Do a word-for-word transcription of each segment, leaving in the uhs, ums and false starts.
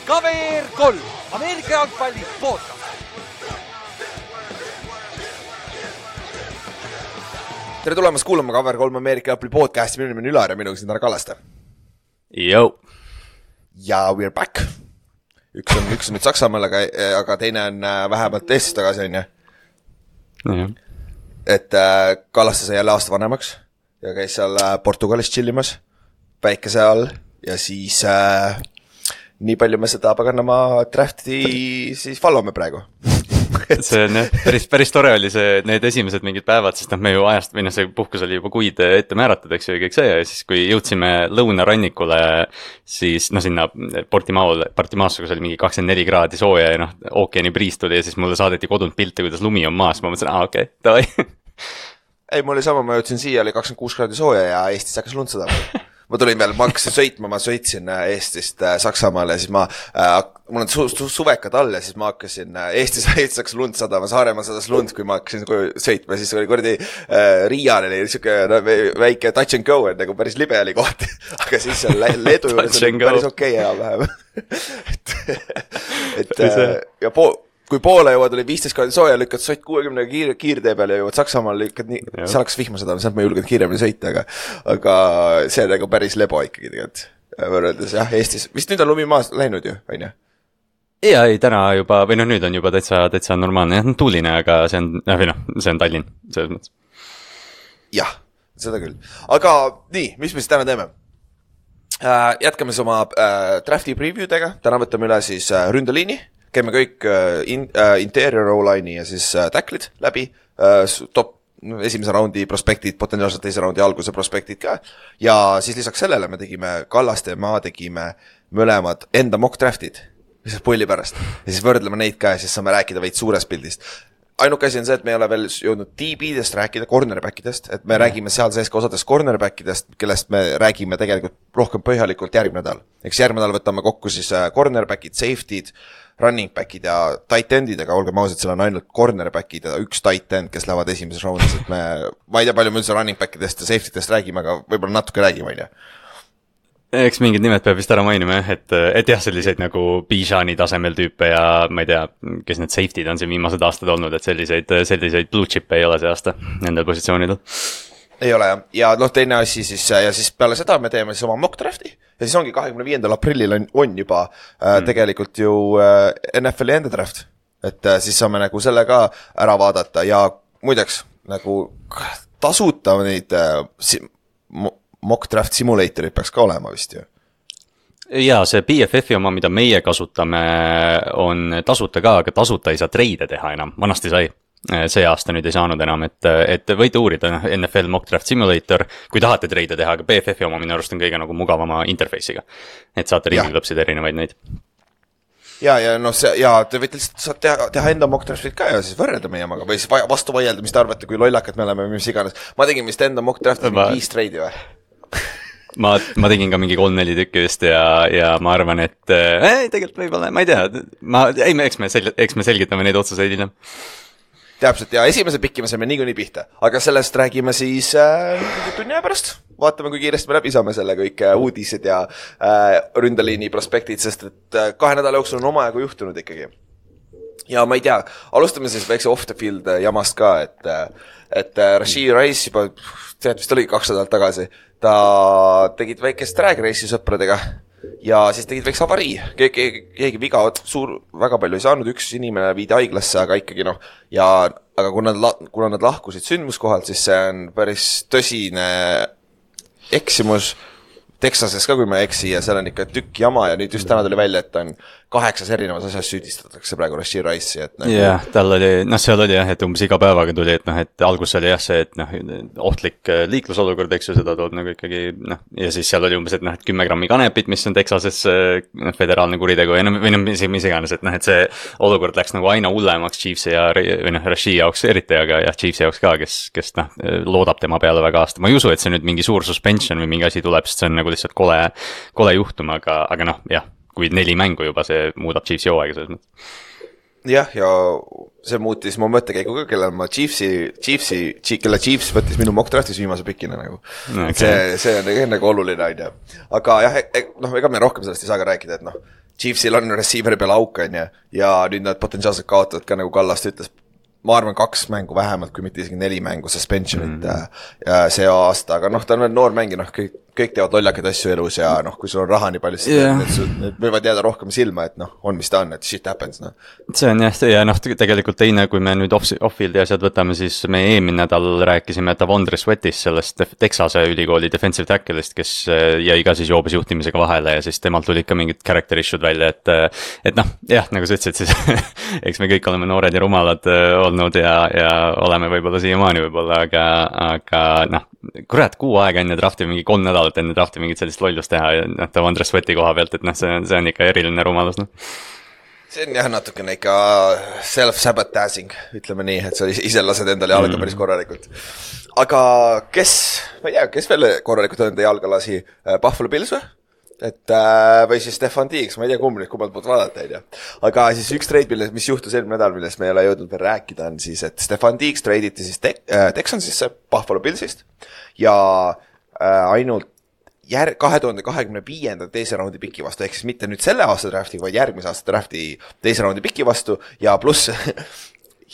Kaver kolm, Ameerika jalgpalli podcast. Tere tulemast kuulama Kaver kolm Ameerika jalgpalli podcasti. Minu nimi on Ülar ja minuga siin Tara Kallaste. Yo. Ja we are back. Üks on, üks on nüüd Saksamaal, aga, aga teine on vähemalt Eestis tagasi, on ju. Mm-hmm. Et äh, Kallaste sai jälle aasta vanemaks ja käis seal Portugalis chillimas päikese all ja siis äh, nii palju me seda paganama drafti siis followme praegu. See on jah, päris, päris tore oli see, need esimesed mingid päevad, sest noh, me ju ajast, või noh, see puhkus oli juba kuid ette määratud, eks ju, kõik see, ja siis kui jõudsime lõunarannikule, siis noh, sinna Portimaole, Portimaasse, kus oli mingi kakskümmend neli kraadi sooja ja noh, ookeani priis tuli ja siis mulle saadeti kodunt pilte, kuidas lumi on maas, ma mõtlesin, aa, okei, okay, davai. Ei, mul oli sama, ma jõudsin siia, oli kakskümmend kuus kraadi sooja ja Eestis hakkas lund seda. Ma tulin veel, ma hakkasin sõitma, ma sõitsin Eestist Saksamaale ja siis ma, äh, mul on su su suvekad all ja siis ma hakkasin Eestis, Eestis hakkas lund sadama, Saaremaa sadas lund, kui ma hakkasin sõitma, siis oli kordi äh, Riial oli siuke no, väike touch and go, et nagu päris libe oli koht, aga siis seal Leedu juures oli päris okei okay, vähem. et, et äh, ja po kui poole jõuad oli viisteist kraadi sooja, lükkad sott kuuekümne kiir, kiirtee peal ja jõuad Saksamaal, lükkad nii, seal hakkas vihma seda, sealt ma ei julgenud kiiremini sõita, aga, aga see on nagu päris lebo ikkagi tegelikult. Võrreldes jah, Eestis, vist nüüd on lumi maas läinud ju, on ju? Ja ei, täna juba, või noh, nüüd on juba täitsa, täitsa normaalne, jah, tuuline, aga see on, või noh, see on Tallinn, selles mõttes. Jah, seda küll. Aga nii, mis me siis täna teeme? Äh, jätkame siis oma äh, drafti previewdega, täna võtame üle siis äh, ründeliini. Käime kõik in, uh, interior O-line'i ja siis uh, tacklid läbi, uh, top esimese raundi prospektid, potentsiaalselt teise raundi alguse prospektid ka. Ja siis lisaks sellele me tegime Kallaste ja ma tegime mõlemad enda mock draftid, mis on pulli pärast. Ja siis võrdleme neid ka ja siis saame rääkida veid suurest pildist. Ainuke asi on see, et me ei ole veel jõudnud D B-dest rääkida, cornerbackidest, et me mm. räägime seal sees ka osadest cornerbackidest, kellest me räägime tegelikult rohkem põhjalikult järgmine nädal. Eks järgmine nädal võtame kokku siis cornerbackid, safety'd, running backid ja tight endid, aga olgem ausad, seal on ainult cornerbackid ja üks tight end, kes lähevad esimeses raundis, et me, ma ei tea palju me üldse running backidest ja safety'dest räägime, aga võib-olla natuke räägime, on ju. Eks mingid nimed peab vist ära mainima, et, et jah, selliseid nagu Bijani tasemel tüüpe ja ma ei tea, kes need safety'd on siin viimased aastad olnud, et selliseid, selliseid blue chip'e ei ole see aasta nendel positsioonidel. Ei ole jah, ja noh, teine asi siis, ja siis peale seda me teeme siis oma mock drafti ja siis ongi kahekümne viiendal aprillil on, on juba äh, mm. tegelikult ju äh, N F L-i enda draft, et äh, siis saame nagu selle ka ära vaadata ja muideks nagu tasuta neid äh, si mock draft simulatorid peaks ka olema vist ju. Jaa, see P F F-i oma, mida meie kasutame, on tasuta ka, aga tasuta ei saa treide teha enam, vanasti sai. See aasta nüüd ei saanud enam, et, et võite uurida N F L Mock Draft Simulator, kui tahate treide teha, aga P F F-i oma minu arust on kõige nagu mugavama interface'iga, et saate ringlõpsida erinevaid neid. Ja, ja noh, see, ja te võite lihtsalt teha, teha enda mock draftid ka ja siis võrrelda meie omaga või siis vastu vaielda, mis te arvate, kui lollakad me oleme, mis iganes. Ma tegin vist enda mock draftid ma... viis treidi või? ma, ma tegin ka mingi kolm-neli tükki just ja, ja ma arvan, et ei, tegelikult võib-olla, ma ei tea, ma, ei, eks me, sel, eks me selgitame neid otsuseid hiljem. Täpselt, ja esimese pikki me saime niikuinii pihta, aga sellest räägime siis äh, tunni pärast. Vaatame, kui kiiresti me läbi saame selle kõik äh, uudised ja äh, ründeliini prospektid, sest et äh, kahe nädala jooksul on omajagu juhtunud ikkagi. Ja ma ei tea, alustame siis väikse off the field jamast ka, et, et äh, Rashee Rice juba, tead, vist oligi kaks nädalat tagasi, ta tegid väikest drag race'i sõpradega ja siis tegid väikse avarii, keegi, keegi viga suur, väga palju ei saanud, üks inimene viidi haiglasse, aga ikkagi noh, ja aga kuna nad, kuna nad lahkusid sündmuskohalt, siis see on päris tõsine eksimus Texases ka, kui ma eksi, ja seal on ikka tükk jama ja nüüd just täna tuli välja, et on kaheksas erinevas asjas süüdistatakse praegu Rashee Rice'i, et nagu... jah, tal oli, noh, seal oli jah, et umbes iga päevaga tuli, et noh, et algus oli jah see, et noh, ohtlik liiklusolukord, eks ju, seda tood nagu ikkagi, noh, ja siis seal oli umbes, et noh, et kümme grammi kanepit, mis on Texases noh, föderaalne kuritegu, või noh, või noh, mis, mis iganes, et noh, et see olukord läks nagu aina hullemaks Chiefsi ja, või noh, Rashee jaoks eriti, aga jah, Chiefsi jaoks ka, kes, kes noh, loodab tema peale väga aasta. Ma ei usu, et see nüüd mingi suur suspension või mingi asi tuleb, sest see on nagu lihtsalt kole, kole juhtum, aga, aga noh, jah, kui neli mängu juba, see muudab Chiefsi hooaega selles mõttes. Jah, ja see muutis mu mõttekäigu ka, kellel ma Chiefsi, Chiefsi, kelle Chiefs võttis minu mock draftis viimase pikina nagu. Okay. See, see on nagu oluline, on ju. Aga jah, noh, ega me rohkem sellest ei saa ka rääkida, et noh, Chiefsil on receiver'i peal auk, on ju, ja nüüd nad potentsiaalselt kaotavad ka, nagu Kallast ütles, ma arvan kaks mängu vähemalt, kui mitte isegi neli mängu suspensionit mm. see aasta, aga noh, ta on veel noor mängi, noh, kõik, kõik teevad lollakaid asju elus ja noh, kui sul on raha nii palju, siis yeah. need, need võivad jääda rohkem silma, et noh, on mis ta on, et shit happens, noh. See on jah, ja noh, tegelikult teine, kui me nüüd off-fieldi asjad võtame, siis me eelmine nädal rääkisime Tavondre Sweatist, sellest Texase ülikooli defensive tackle'ist, kes jäi ka siis joobes juhtimisega vahele ja siis temalt tulid ka mingid character issue'd välja, et et noh, jah, nagu sa ütlesid, siis eks me kõik oleme noored ja rumalad olnud ja, ja oleme võib-olla siiamaani võib-olla, aga, aga noh, kurat, kuu aega enne drafti, mingi kolm nädalat enne drafti mingit sellist lollust teha ja noh, Tavondre Sweati koha pealt, et noh, see, see on ikka eriline rumalus, noh. See on jah natukene ikka self-sabotaging, ütleme nii, et sa ise lased endale jalga päris korralikult. Aga kes, ma ei tea, kes veel korralikult enda jalga lasi? Buffalo Bills või? Et, või siis Stefan Diggs, ma ei tea kumb nüüd kummalt poolt vaadata, ei tea. Aga siis üks trade, mis juhtus eelmine nädal, millest me ei ole jõudnud veel rääkida, on siis, et Stefan Diggs tradeiti siis te- äh, Texansisse Buffalo Billsist ja äh, ainult jär- kahe tuhande kahekümne viienda teise raundi piki vastu, ehk siis mitte nüüd selle aasta drafti, vaid järgmise aasta drafti teise raundi piki vastu ja pluss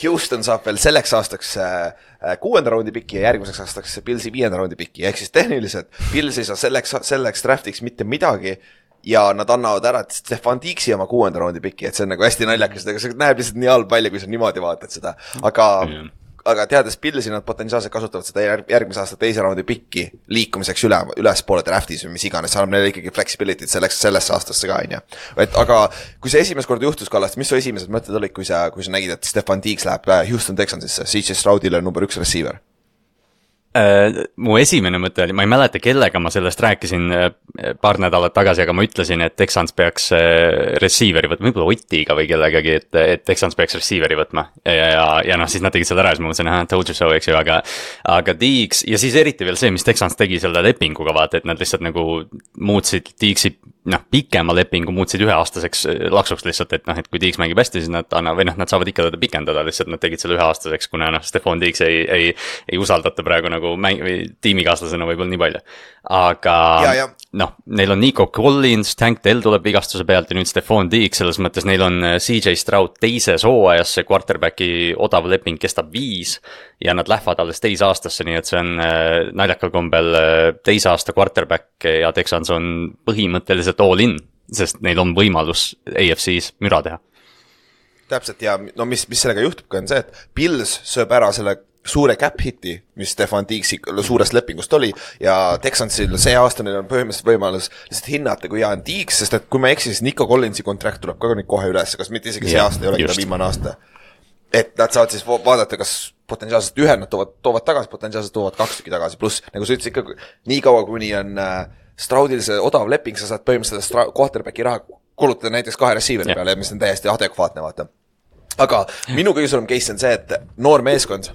Houston saab veel selleks aastaks kuuenda raundi piki ja järgmiseks aastaks Billsi viienda raundi piki, ehk siis tehniliselt Bills ei saa selleks, selleks draftiks mitte midagi ja nad annavad ära Stefan Diggsi oma kuuenda raundi piki, et see on nagu hästi naljakas, aga see näeb lihtsalt nii halb välja, kui sa niimoodi vaatad seda, aga mm. aga teades Billsi nad potentsiaalselt kasutavad seda järgmise aasta teise raundi pikki liikumiseks üle, üles poole draftis või mis iganes, annab neile ikkagi flexibility't selleks, sellesse aastasse ka, on ju. Et aga kui see esimest korda juhtus Kallast, mis su esimesed mõtted olid, kui sa, kui sa nägid, et Stefan Diggs läheb Houston Texansisse, C J Stroudile number üks receiver? Uh, mu esimene mõte oli, ma ei mäleta, kellega ma sellest rääkisin uh, paar nädalat tagasi, aga ma ütlesin, et Texans peaks uh, receiveri võtma, võib-olla Ottiga või kellegagi, et, et Texans peaks receiveri võtma ja, ja, ja noh, siis nad tegid selle ära, siis ma mõtlesin, ah, told you so, eks ju, aga aga Diggs, ja siis eriti veel see, mis Texans tegi selle lepinguga, vaata, et nad lihtsalt nagu muutsid Diggsi, noh, pikema lepingu muutsid üheaastaseks laksuks lihtsalt, et noh, et kui Diggs mängib hästi, siis nad anna, või noh, nad saavad ikka teda pikendada, lihtsalt nad tegid selle üheaastaseks, kuna noh, Stefan Diggs ei, ei, ei usaldata praegu nagu mäng, või tiimikaaslasena võib-olla nii palju. Aga ja, ja. noh, neil on Nico Collins, Tank Dell tuleb vigastuse pealt ja nüüd Stefan Diggs, selles mõttes neil on C J Stroud teises hooajas, see quarterbacki odav leping kestab viis ja nad lähevad alles teise aastasse, nii et see on äh, naljakal kombel äh, teise aasta quarterback ja Texans on põhimõtteliselt all in, sest neil on võimalus A F C-s müra teha. Täpselt ja no mis, mis sellega juhtubki on see, et Bills sööb ära selle suure cap hiti, mis Stefan Diggsi suurest lepingust oli ja Texansil see aasta neil on põhimõtteliselt võimalus lihtsalt hinnata, kui hea on Diggs, sest et kui ma eksin, siis Nico Collinsi kontrakt tuleb ka nüüd kohe üles, kas mitte isegi see ja, aasta ei olegi ta viimane aasta. Et nad saavad siis vaadata, kas potentsiaalselt ühe nad toovad, toovad tagasi, potentsiaalselt toovad kaks tükki tagasi, pluss nagu sa ütlesid ikka nii kaua, kuni on äh, Stroudil see odav leping, sa saad põhimõtteliselt quarterbacki raha kulutada näiteks kahe receiveri peale, mis on täiesti adekvaatne, vaata. Aga minu kõige suurem case on see, et noor meeskond,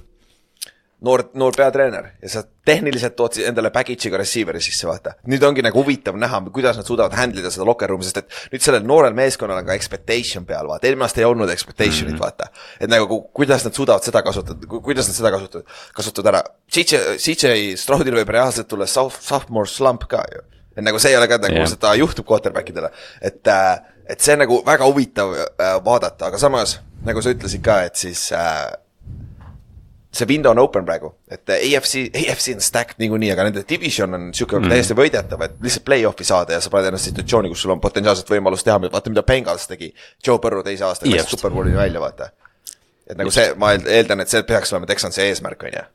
noor, noor peatreener ja sa tehniliselt tood endale package'iga receiveri sisse, vaata. Nüüd ongi nagu huvitav näha, kuidas nad suudavad handlida seda locker room'i, sest et nüüd sellel noorel meeskonnal on ka expectation peal, vaata. Eelmine aasta ei olnud expectation'it, vaata. Et nagu kuidas nad suudavad seda kasutada, kuidas nad seda kasutavad, kasutavad ära. C J Stroudil võib reaalselt tulla sophomore slump ka ju. Et nagu see ei ole ka nagu yeah. seda juhtub quarterbackidele. Et, et see on nagu väga huvitav vaadata, aga samas, nagu sa ütlesid ka, et siis see window on open praegu, et A F C, A F C on stacked niikuinii, aga nende division on siuke mm. täiesti võidetav, et lihtsalt play-off'i saada ja sa paned ennast situatsiooni, kus sul on potentsiaalselt võimalus teha, vaata mida Bengals tegi Joe Burrow teise aasta, kes Superbowlini välja, vaata. Et nagu see, ma eeldan, et see peaks olema Texansi eesmärk, on ju.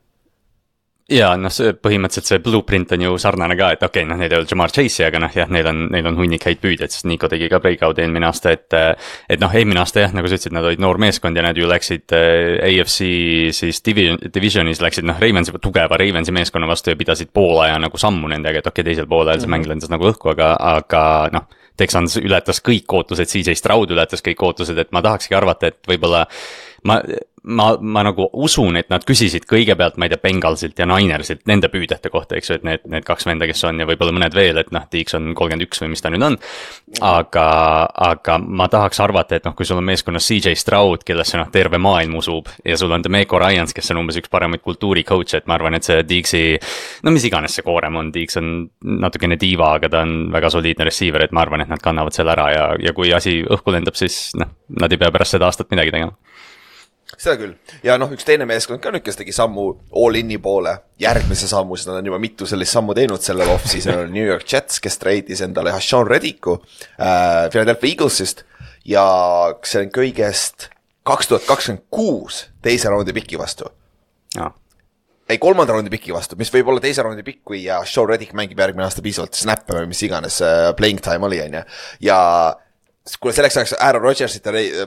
Ja noh, see põhimõtteliselt see blueprint on ju sarnane ka, et okei, okay, noh, neil ei ole Jamar Chase'i, aga noh, jah, neil on, neil on hunnik häid püüdjaid, sest Nico tegi ka breakout eelmine aasta, et et noh, eelmine aasta jah, nagu sa ütlesid, nad olid noor meeskond ja nad ju läksid A F C siis division, divisionis läksid noh, Ravensi, tugeva Ravensi meeskonna vastu ja pidasid pool aja nagu sammu nendega, et okei okay,, teisel poolel see mm-hmm. mäng lendas nagu õhku, aga, aga noh, Texans ületas kõik ootused, C J Stroud ületas kõik ootused, et ma tahakski arvata, et võib-olla ma, ma, ma nagu usun, et nad küsisid kõigepealt, ma ei tea, Bengalsilt ja Ninersilt nende püüdjate kohta, eks ju, et need, need kaks venda, kes on ja võib-olla mõned veel, et noh, Deeks on kolmkümmend üks või mis ta nüüd on. Aga, aga ma tahaks arvata, et noh, kui sul on meeskonnas C J Stroud, kellesse noh, terve maailm usub ja sul on Demeco Ryans, kes on umbes üks paremaid kultuuri coach, et ma arvan, et see Deeksi, no mis iganes see koorem on, Deeks on natukene diiva, aga ta on väga soliidne receiver, et ma arvan, et nad kannavad selle ära ja, ja kui asi õhku lendab, siis noh, nad ei pea pärast seda aastat midagi tegema. Seda küll. Ja noh, üks teine meeskond ka nüüd, kes tegi sammu all-in'i poole, järgmise sammu, siis nad on juba mitu sellist sammu teinud sellel off, siis on New York Jets, kes treidis endale Hashan Reddiku äh, Philadelphia Eaglesist ja see on kõigest kaks tuhat kakskümmend kuus teise raundi piki vastu. Ja. Ei, kolmanda raundi piki vastu, mis võib olla teise raundi pikk, kui Hashan Reddick mängib järgmine aasta piisavalt snappe või mis iganes äh, playing time oli, on ja. Ja kuule selleks ajaks Aaron Rodgersit ja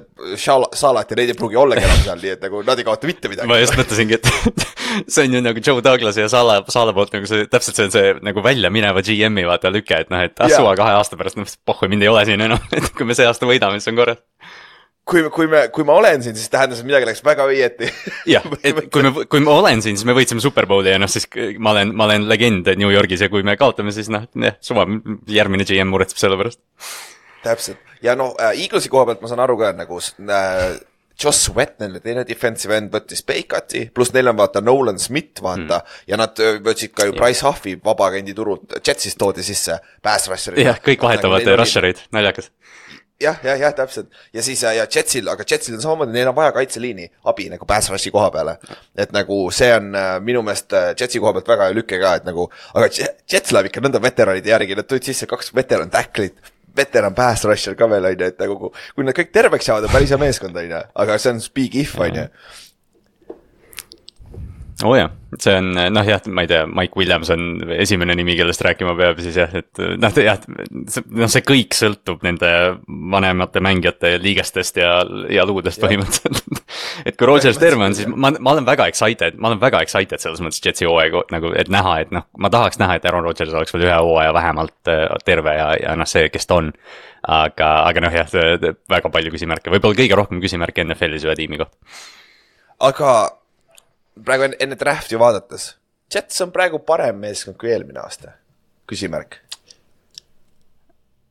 Salat ja neid ei pruugi olla enam seal, nii et nagu nad ei kaota mitte midagi. Ma just mõtlesingi, et see on ju nagu Joe Douglas ja Sala, Sala poolt nagu see, täpselt see on see nagu välja mineva G M-i vaata lüke, et noh, et ah, suva kahe aasta pärast, noh, pohhu, mind ei ole siin enam, et kui me see aasta võidame, siis on korras. Kui, kui, me, kui ma olen siin, siis tähendas, et midagi läks väga õieti. Jah, et kui, me, kui ma olen siin, siis me võitsime Super Bowli ja noh, siis ma olen, ma olen legend New Yorgis ja kui me kaotame, siis noh, suva, järgmine G M muretseb selle pärast. Täpselt. Ja noh, äh, Eaglesi koha pealt ma saan aru ka, nagu äh, Josh Sweat, neile teine defensive end võttis Bakeati, pluss neil on vaata Nolan Smith, vaata, mm. ja nad võtsid ka ju Bryce Huffi vabaagendi turult, Jetsist toodi sisse, pass rusher'id. Jah, kõik vahetavad nagu rusher'id, naljakas. Jah, jah, jah, täpselt. Ja siis ja Jetsil, aga Jetsil on samamoodi, neil on vaja kaitseliini abi nagu pass rushi koha peale. Et nagu see on minu meelest Jetsi koha pealt väga lükke ka, et nagu, aga Jets läheb ikka nõnda veteranide järgi, nad tulid sisse kaks veteran tacklit, veteran pass rusher ka veel, on ju, et nagu, kui nad kõik terveks saavad, on päris hea meeskond, on ju, aga see on big if, on ju. Oo jah, see on, noh jah, ma ei tea, Mike Williams on esimene nimi, kellest rääkima peab, siis jah, et noh, jah, no see kõik sõltub nende vanemate mängijate liigestest ja, ja luudest põhimõtteliselt. Et kui Rodgers terve on, siis ma, ma olen väga excited, ma olen väga excited selles mõttes Jetsi hooaega, nagu, et näha, et noh, ma tahaks näha, et Aaron Rodgers oleks veel ühe hooaja vähemalt terve ja, ja noh, see, kes ta on. Aga, aga noh jah, väga palju küsimärke, võib-olla kõige rohkem küsimärke N F L-is ühe tiimi kohta. Aga praegu enne drafti vaadates, Jets on praegu parem meeskond kui eelmine aasta. Küsimärk.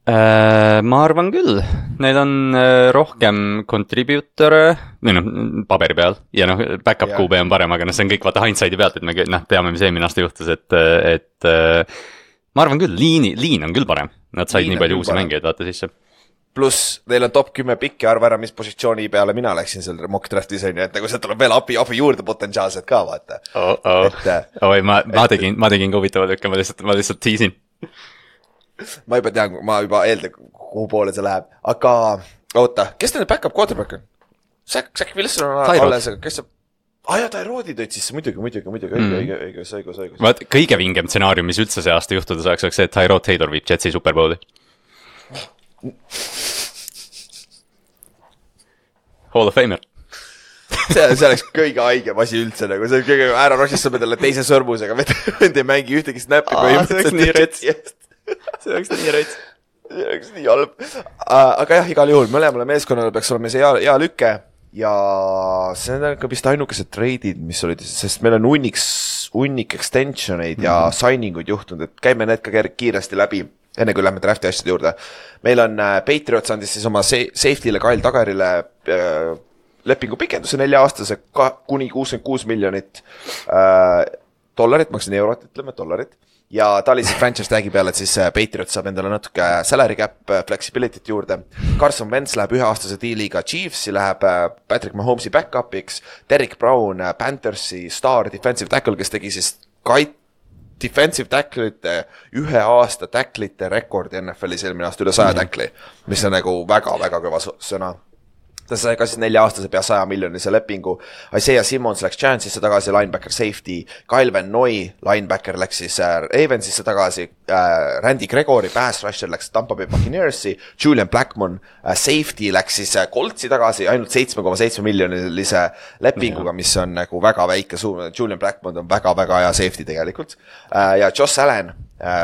Äh, ma arvan küll. Need on äh, rohkem contributore, või noh, paberi peal. Ja noh, backup Q B on parem, aga noh, see on kõik vaata hindside'i pealt, et me noh, teame, mis eelmine aasta juhtus, et, et äh, ma arvan küll, liini, liin on küll parem. Nad said liin nii palju uusi mängijaid vaata sisse. Pluss neil on top kümme pikki, arva ära, mis positsiooni peale mina läksin selle mock draftis, et nagu see tuleb veel abi, abi juurde potentsiaalselt ka, vaata. Oh, oh. Et, Oi, ma, ma tegin, ma tegin ka huvitava lükka, ma lihtsalt, ma lihtsalt tiisin. Ma juba tean, ma juba eeldan, kuhu poole see läheb. Aga, oota, kes teine backup quarterback on? Zach, Zach Wilson on alles, aga kes saab... Ah ja, Tyroodi tõid sisse, muidugi, muidugi, muidugi, õige, õige, õige, õige, õige, õige. Vaat, kõige vingem stsenaarium, mis üldse see aasta juhtuda saaks, oleks see, et Tyrod Taylor viib Jetsi Super Bowli. Hall of Famer. see, see oleks kõige haigem asi üldse, nagu see kõige, Aaron Rodgers saab endale teise sõrmusega, vend ei mängi ühtegi snappi. Aa, see oleks nii rets. See oleks nii rets. See oleks nii halb. Aga jah, igal juhul, mõlemale meeskonnale peaks olema see hea, hea lüke ja see on ka vist ainukesed treidid, mis olid, sest meil on unniks, unnik extensioneid ja mm-hmm. signinguid juhtunud, et käime need ka kiiresti läbi. Enne kui lähme drafti asjade juurde. Meil on äh, Patriots andis siis oma safety'le Kyle Tagarile äh, lepingu pikenduse nelja aastase ka, kuni kuuskümmend kuus miljonit äh, dollarit, maksin eurot, ütleme dollarit. Ja ta oli siis franchise tagi peale, et siis Patriots saab endale natuke salary cap flexibility't juurde. Carson Wentz läheb üheaastase diiliga Chiefsi, läheb Patrick Mahomes'i back-upiks, Derek Brown, Panthersi star defensive tackle, kes tegi siis kait defensive tacklite, ühe aasta tacklite rekordi N F L-is eelmine aasta üle saja tackli, mis on nagu väga-väga kõva sõna. Ta sai ka siis nelja aastase pea saja miljonise lepingu. Isaiah Simmons läks Giantsisse tagasi, linebacker safety. Kyle Van Noy, linebacker läks siis Ravensisse tagasi. Randy Gregory, pass rusher läks Tampa Bay Buccaneersi. Julian Blackmon, safety läks siis Coltsi tagasi ainult seitse koma seitse miljonilise lepinguga, mis on nagu väga väike suur. Julian Blackmon on väga-väga hea safety tegelikult. Ja Josh Allen,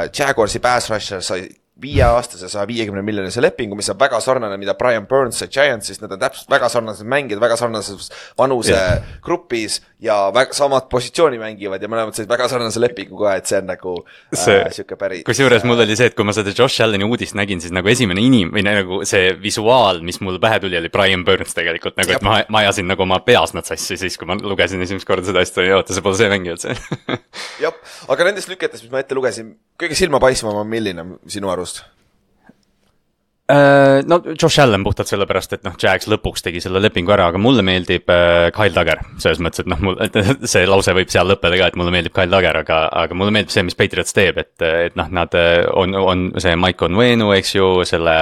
Jaguarsi pass rusher sai viieaastase saja viiekümne miljonise lepingu, mis on väga sarnane, mida Brian Burns sai Giantsist, nad on täpselt väga sarnased mängijad, väga sarnases vanuse yeah. grupis ja väga samad positsiooni mängivad ja mõlemad said väga sarnase lepingu ka, et see on nagu see, äh, siuke päris. Kusjuures mul oli see, et kui ma seda Josh Alleni uudist nägin, siis nagu esimene inim, või nagu see visuaal, mis mul pähe tuli, oli Brian Burns tegelikult, nagu et ma, ma ajasin nagu oma peas nad sassi siis, kui ma lugesin esimest korda seda asja, ja oota, see pole see mängijad see. Jop, aga nendest lüketest, mis ma ette lugesin, kõige silmapaisvam on milline sinu arust? No Josh Allen puhtalt sellepärast, et noh, Jags lõpuks tegi selle lepingu ära, aga mulle meeldib Kyle Duggar, selles mõttes, et noh, mul, see lause võib seal lõppeda ka, et mulle meeldib Kyle Duggar, aga, aga mulle meeldib see, mis Patriots teeb, et, et noh, nad on, on see Mike Onwenu, eks ju, selle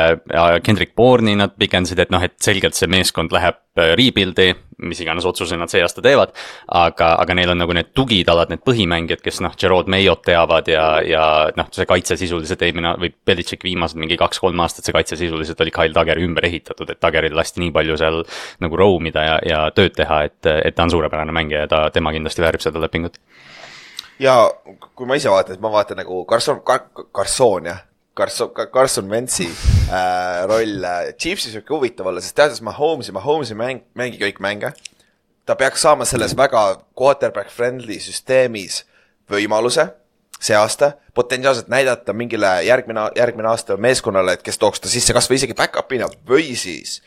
Kendrick Bourne'i nad pikendasid, et noh, et selgelt see meeskond läheb rebuildi, mis iganes otsuse nad see aasta teevad, aga, aga neil on nagu need tugitalad, need põhimängijad, kes noh, Gerard Mayot teavad ja, ja noh, see kaitse sisuliselt eelmine, või Belichick viimased mingi kaks-kolm aastat see kaitse sisuliselt oli Kyle Duggari ümber ehitatud, et Duggaril lasti nii palju seal nagu roamida ja, ja tööd teha, et, et ta on suurepärane mängija ja ta, tema kindlasti väärib seda lepingut. Ja kui ma ise vaatan, et ma vaatan nagu Carson, Car- Carson, jah, Carson, Carson Wentz'i äh, roll Chiefsis võib huvitav olla, sest teades Mahomes'i, Mahomes'i mäng, mängi kõik mänge. Ta peaks saama selles väga quarterback friendly süsteemis võimaluse see aasta, potentsiaalselt näidata mingile järgmine, järgmine aasta meeskonnale, et kes tooks ta sisse kas või isegi back-up'ina või siis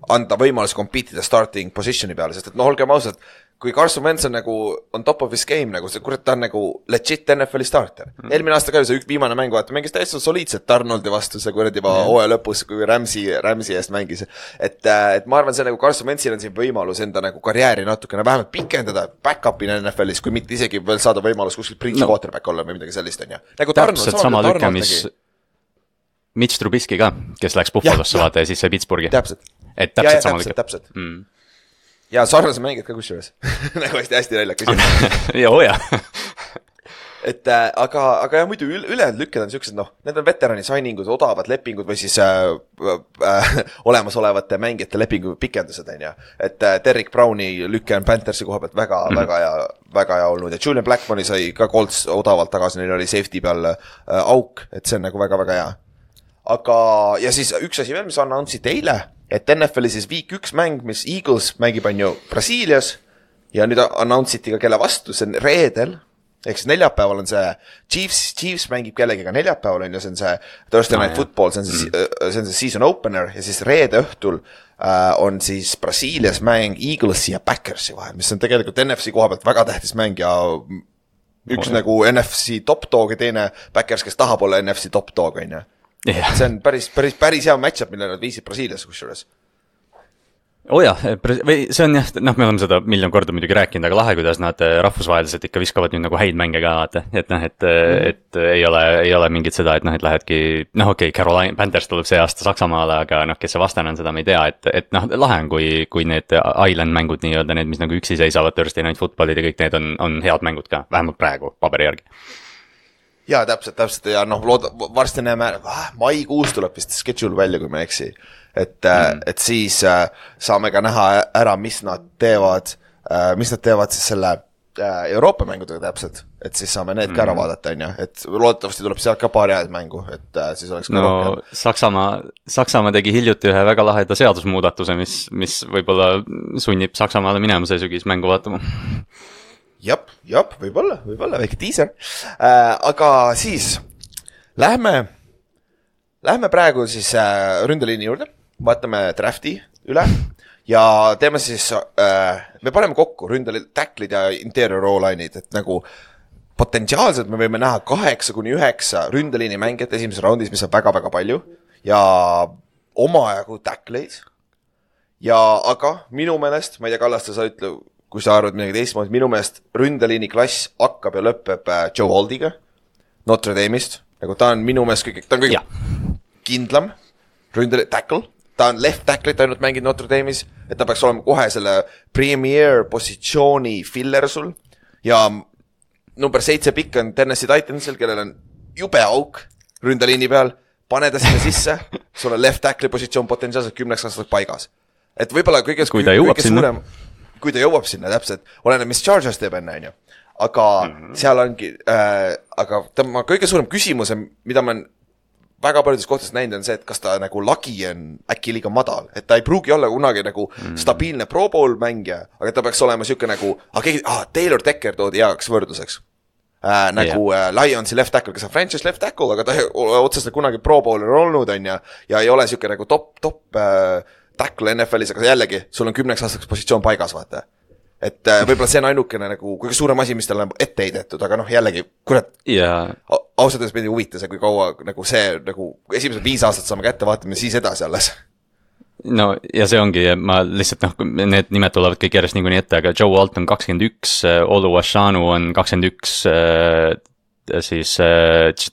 anda võimalus compete starting positioni peale, sest et noh, olgem ausalt, kui Carson Wentz on nagu on top of his game, nagu see kurat, ta on nagu legit N F L-i starter. Mm. Eelmine aasta ka see üks viimane mäng, vaata, mängis täiesti soliidselt Darnoldi vastu, see kurat juba mm. hooaja lõpus, kui Ramsey, Ramsey eest mängis. Et, et ma arvan, see nagu Carson Wentzil on siin võimalus enda nagu karjääri natukene vähemalt pikendada back-up'ina N F L-is, kui mitte isegi veel saada võimalus kuskil bridge no. quarterback olla või midagi sellist on ja. Nagu täpselt sama lükka, mis Mitch Trubisky ka, kes läks Buffalosse vaata ja siis see Pittsburghi. Täpselt. Et täpselt ja, ja, sama täpselt, lükka. Täpselt. Mm. Ja sarnase mängid ka kusjuures. nagu hästi, hästi näljak küsimus. ja hoia. et äh, aga, aga jah, muidu ülejäänud lükked on siuksed, noh, need on veterani signingud, odavad lepingud või siis äh, äh, olemasolevate mängijate lepingu pikendused, on ja. Et äh, Derrick Browni lükke on Panthersi koha pealt väga, mm. väga hea, väga hea olnud ja Julian Blackmoni sai ka Colts odavalt tagasi, neil oli safety peal äh, auk, et see on nagu väga, väga hea. Aga, ja siis üks asi veel, mis announce'id eile, et N F L-i siis viik üks mäng, mis Eagles mängib on ju Brasiilias ja nüüd announce iti ka kelle vastu, see on reedel, ehk siis neljapäeval on see Chiefs, Chiefs mängib kellegiga neljapäeval on ju, see on see Thursday Night Football, see on see, see on see season opener ja siis reede õhtul äh, on siis Brasiilias mäng Eaglesi ja Packersi vahel, mis on tegelikult N F C koha pealt väga tähtis mäng ja üks oh, nagu N F C top dog ja teine Packers, kes tahab olla N F C top dog on ju. Yeah. See on päris, päris, päris hea matchup, mille nad viisid Brasiilias kusjuures. Oh jah, või see on jah, noh, me oleme seda miljon korda muidugi rääkinud, aga lahe, kuidas nad rahvusvaheliselt ikka viskavad nüüd nagu häid mänge ka, vaata, et noh, et, mm-hmm. et ei ole, ei ole mingit seda, et noh, et lähedki, noh okei, okay, Carolina Panthers tuleb see aasta Saksamaale, aga noh, kes see vastane on, seda me ei tea, et, et noh, lahe on, kui, kui need island mängud nii-öelda, need, mis nagu üksi seisavad Thursday Night Footballid ja kõik need on, on head mängud ka, vähemalt praegu paberi järgi. Jaa, täpselt, täpselt ja noh, looda, varsti näeme, maikuus tuleb vist schedule välja, kui ma eksi, et mm., et siis äh, saame ka näha ära, mis nad teevad, äh, mis nad teevad siis selle äh, Euroopa mängudega täpselt, et siis saame need mm. ka ära vaadata, on ju, et loodetavasti tuleb sealt ka paari head mängu, et äh, siis oleks ka no, rohkem. Saksamaa, Saksamaa tegi hiljuti ühe väga laheda seadusmuudatuse, mis, mis võib-olla sunnib Saksamaale minema see sügis mängu vaatama. Jap, jap, võib-olla, võib-olla, väike teaser. Äh, aga siis lähme, lähme praegu siis äh, ründeliini juurde, vaatame drafti üle ja teeme siis, äh, me paneme kokku ründeliin, tacklid ja interior O-line'id, et nagu potentsiaalselt me võime näha kaheksa kuni üheksa ründeliini mängijat esimeses raundis, mis on väga-väga palju ja omajagu tackleid ja aga minu meelest, ma ei tea, Kallaste, sa ütle, kui sa arvad midagi teistmoodi, minu meelest ründeliini klass hakkab ja lõpeb Joe Holdiga Notre Dame'ist, nagu ta on minu meelest kõige, ta on kõige ja. kindlam ründeliini tackle, ta on left tackle'it ainult mänginud Notre Dame'is, et ta peaks olema kohe selle premier positsiooni filler sul ja number seitse pikk on Tennessee Titansil, kellel on jube auk ründeliini peal, pane ta sinna sisse, sul on left tackle'i positsioon potentsiaalselt kümneks aastaks paigas, et võib-olla kõige, kui ta jõuab sinna suurem, kui ta jõuab sinna täpselt, oleneb, mis Chargers teeb enne, on ju. Aga mm-hmm. seal ongi, äh, aga tema kõige suurem küsimus, mida ma väga paljudes kohtades näinud on see, et kas ta nagu lagi on äkki liiga madal, et ta ei pruugi olla kunagi nagu mm. stabiilne Pro Bowl mängija, aga ta peaks olema siuke nagu, ah, keegi, ah, Taylor Decker toodi heaks võrdluseks. Äh, nagu yeah. äh, Lionsi left tackle, kes on franchise left tackle, aga ta ei ole otseselt kunagi Pro Bowler olnud, on ja, ja ei ole siuke nagu top, top äh, tackle N F L-is, aga jällegi, sul on kümneks aastaks positsioon paigas, vaata. Et äh, võib-olla see on ainukene nagu kõige suurem asi, mis tal on ette heidetud, aga noh, jällegi, kurat, yeah. ausalt öeldes meid ei huvita see, kui kaua nagu see, nagu esimesed viis aastat saame kätte, vaatame siis edasi alles. No ja see ongi, ma lihtsalt noh, need nimed tulevad kõik järjest niikuinii ette, aga Joe Walton kakskümmend üks, Olu Ashanu on kakskümmend üks, siis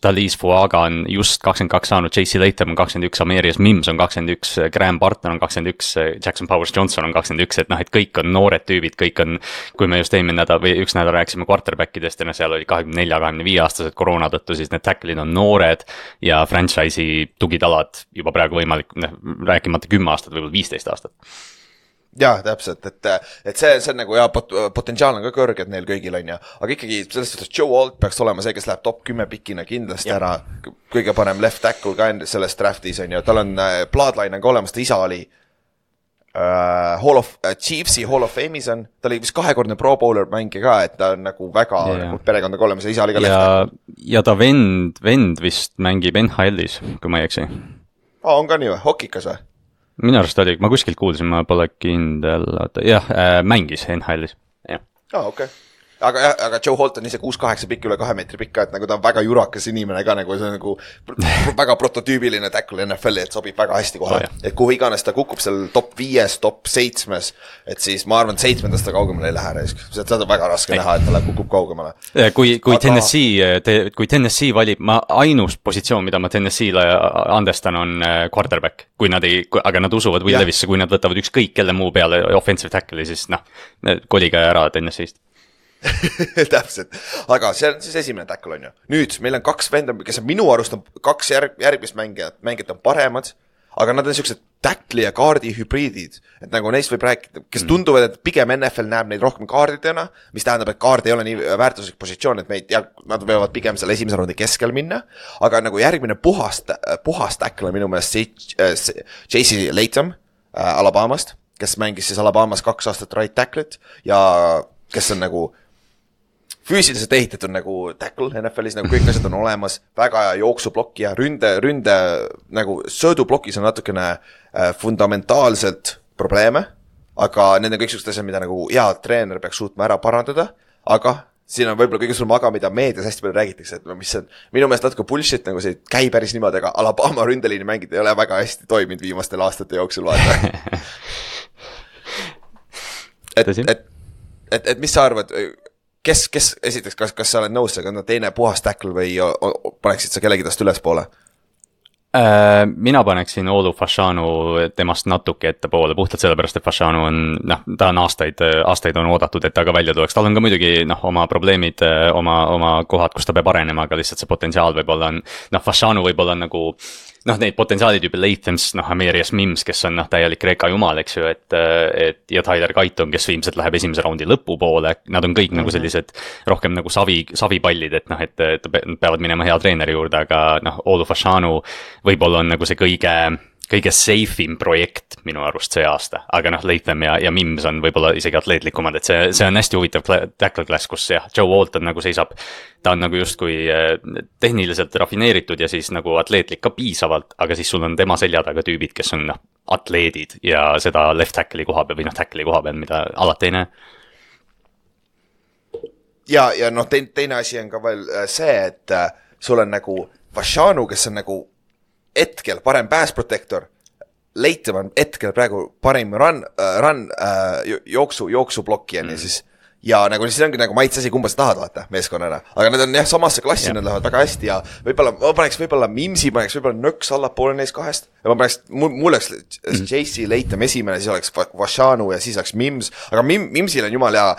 Talise Fuaga on just kakskümmend kaks saanud, J C Latham on kakskümmend üks, Amarius Mims on kakskümmend üks, Graham Barton on kakskümmend üks, Jackson Powers Johnson on kakskümmend üks, et noh, et kõik on noored tüübid, kõik on, kui me just eelmine nädal või üks nädal rääksime quarterbackidest ja no seal oli kahekümne nelja kahekümne viie aastased koroona tõttu, siis need tackle'id on noored ja franchise'i tugitalad juba praegu võimalik, rääkimata kümme aastat, võib-olla viisteist aastat. Jaa, täpselt, et, et see, see on nagu jah, pot, potentsiaal on ka kõrged neil kõigil on ja, aga ikkagi sellest, et Joe Alt peaks olema see, kes läheb top kümme pikina kindlasti ja. Ära, kõige parem left tackle ka selles draftis on ja tal on bloodline on ka olemas, ta isa oli uh, Hall of, uh, Chiefsi Hall of Fame'is on, ta oli vist kahekordne Pro Bowler mängija ka, et ta on nagu väga yeah. nagu perekondaga olemas ja isa oli ka ja, left tackle. Ja ta vend, vend vist mängib N H L-is, kui ma ei eksi. Aa, on ka nii või? Hokikas või? Minu arust oli, ma kuskilt kuulsin, ma pole kindel, jah, äh, mängis N H L-is, jah. Aa, okei. Okay. Aga, aga Joe Holt on ise kuus kaheksa pikk üle kahe meetri pikka, et nagu ta on väga jurakas inimene ka, nagu see on nagu väga prototüübiline tackle N F L-i, et sobib väga hästi kohe. Oh, et kuhu iganes ta kukub seal top viies, top seitsmes, et siis ma arvan, et seitsmendast ta kaugemale ei lähe. Seda on väga raske ei. näha, et ta kukub kaugemale. Kui, kui, aga... Tennessee, te, kui Tennessee valib, ma ainus positsioon, mida ma Tennessee'le andestan, on quarterback. Kui nad ei, aga nad usuvad Will Levisse, kui nad võtavad ükskõik kelle muu peale offensive tackle'i, siis noh, kolige ära Tennessee'st. Täpselt, aga see on siis esimene tackle on ju. Nüüd meil on kaks venda, kes on minu arust on kaks järg, järgmist mängijat, mängijat on paremad, aga nad on sellised tackle ja kaardi hübriidid, et nagu neist võib rääkida, kes tunduvad, et pigem N F L näeb neid rohkem kaardidena, mis tähendab, et kaard ei ole nii väärtuslik positsioon, et meid, ja, nad võivad pigem selle esimese raundi keskel minna, aga nagu järgmine puhast, puhast tackle on minu meelest J C Latham äh, Alabamast, kes mängis siis Alabamas kaks aastat right tackle'it ja kes on nagu füüsiliselt ehitatud nagu tackle N F L-is, nagu kõik asjad on olemas, väga hea jooksublokki ja ründe, ründe nagu söödublokis on natukene äh, fundamentaalselt probleeme, aga need on kõik sellised asjad, mida nagu hea treener peaks suutma ära parandada, aga siin on võib-olla kõige suurem aga, mida meedias hästi palju räägitakse, et mis on minu meelest natuke bullshit, nagu see käi päris niimoodi, aga Alabama ründeliini mängid ei ole väga hästi toiminud viimastel aastate jooksul, vaata. et, et, et, et, et mis sa arvad, kes, kes esiteks, kas, kas sa oled nõus, aga on teine puhas tackle või o, o, paneksid sa kellegi tast üles poole? Äh, mina paneksin Olu Fashanu temast natuke ette poole, puhtalt sellepärast, et Fashanu on, noh, ta on aastaid, aastaid on oodatud, et ta ka välja tuleks. Tal on ka muidugi, noh, oma probleemid, oma, oma kohad, kus ta peab arenema, aga lihtsalt see potentsiaal võib-olla on, noh, Fashanu võib-olla on nagu, noh, neid potentsiaalid juba Lathams, noh, Amarius Mims, kes on, noh, täielik Kreeka jumal, eks ju, et, et, ja Tyler Gaiton, kes viimselt läheb esimese raundi lõpupoole, nad on kõik mm-hmm. nagu sellised rohkem nagu savi, savipallid, et noh, et, et peavad minema hea treeneri juurde, aga noh, Olu Fashanu võib-olla on nagu see kõige, kõige safe'im projekt minu arust see aasta, aga noh, Latham ja, ja Mims on võib-olla isegi atleetlikumad, et see, see on hästi huvitav tackle class, kus jah, Joe Walton nagu seisab, ta on nagu justkui tehniliselt rafineeritud ja siis nagu atleetlik ka piisavalt, aga siis sul on tema selja taga tüübid, kes on noh, atleedid ja seda left tackle'i koha peal või noh, tackle'i koha peal, mida alati ei näe. Ja, ja noh, teine, teine asi on ka veel see, et sul on nagu Fashanu, kes on nagu hetkel parem pass protector, Latham on hetkel praegu parim run, uh, run uh, jooksu, jooksublokki mm. siis, ja nagu siis ongi nagu maitse asi, kumba sa tahad vaata meeskonnana, aga need on jah samasse klassi yeah., nad lähevad väga hästi ja võib-olla, ma paneks võib-olla Mimsi, paneks võib-olla nõks allapoole neist kahest ja ma paneks, mul, mul oleks mm. J C Latham esimene, siis oleks Fashanu ja siis oleks Mims, aga Mim, Mimsil on jumal hea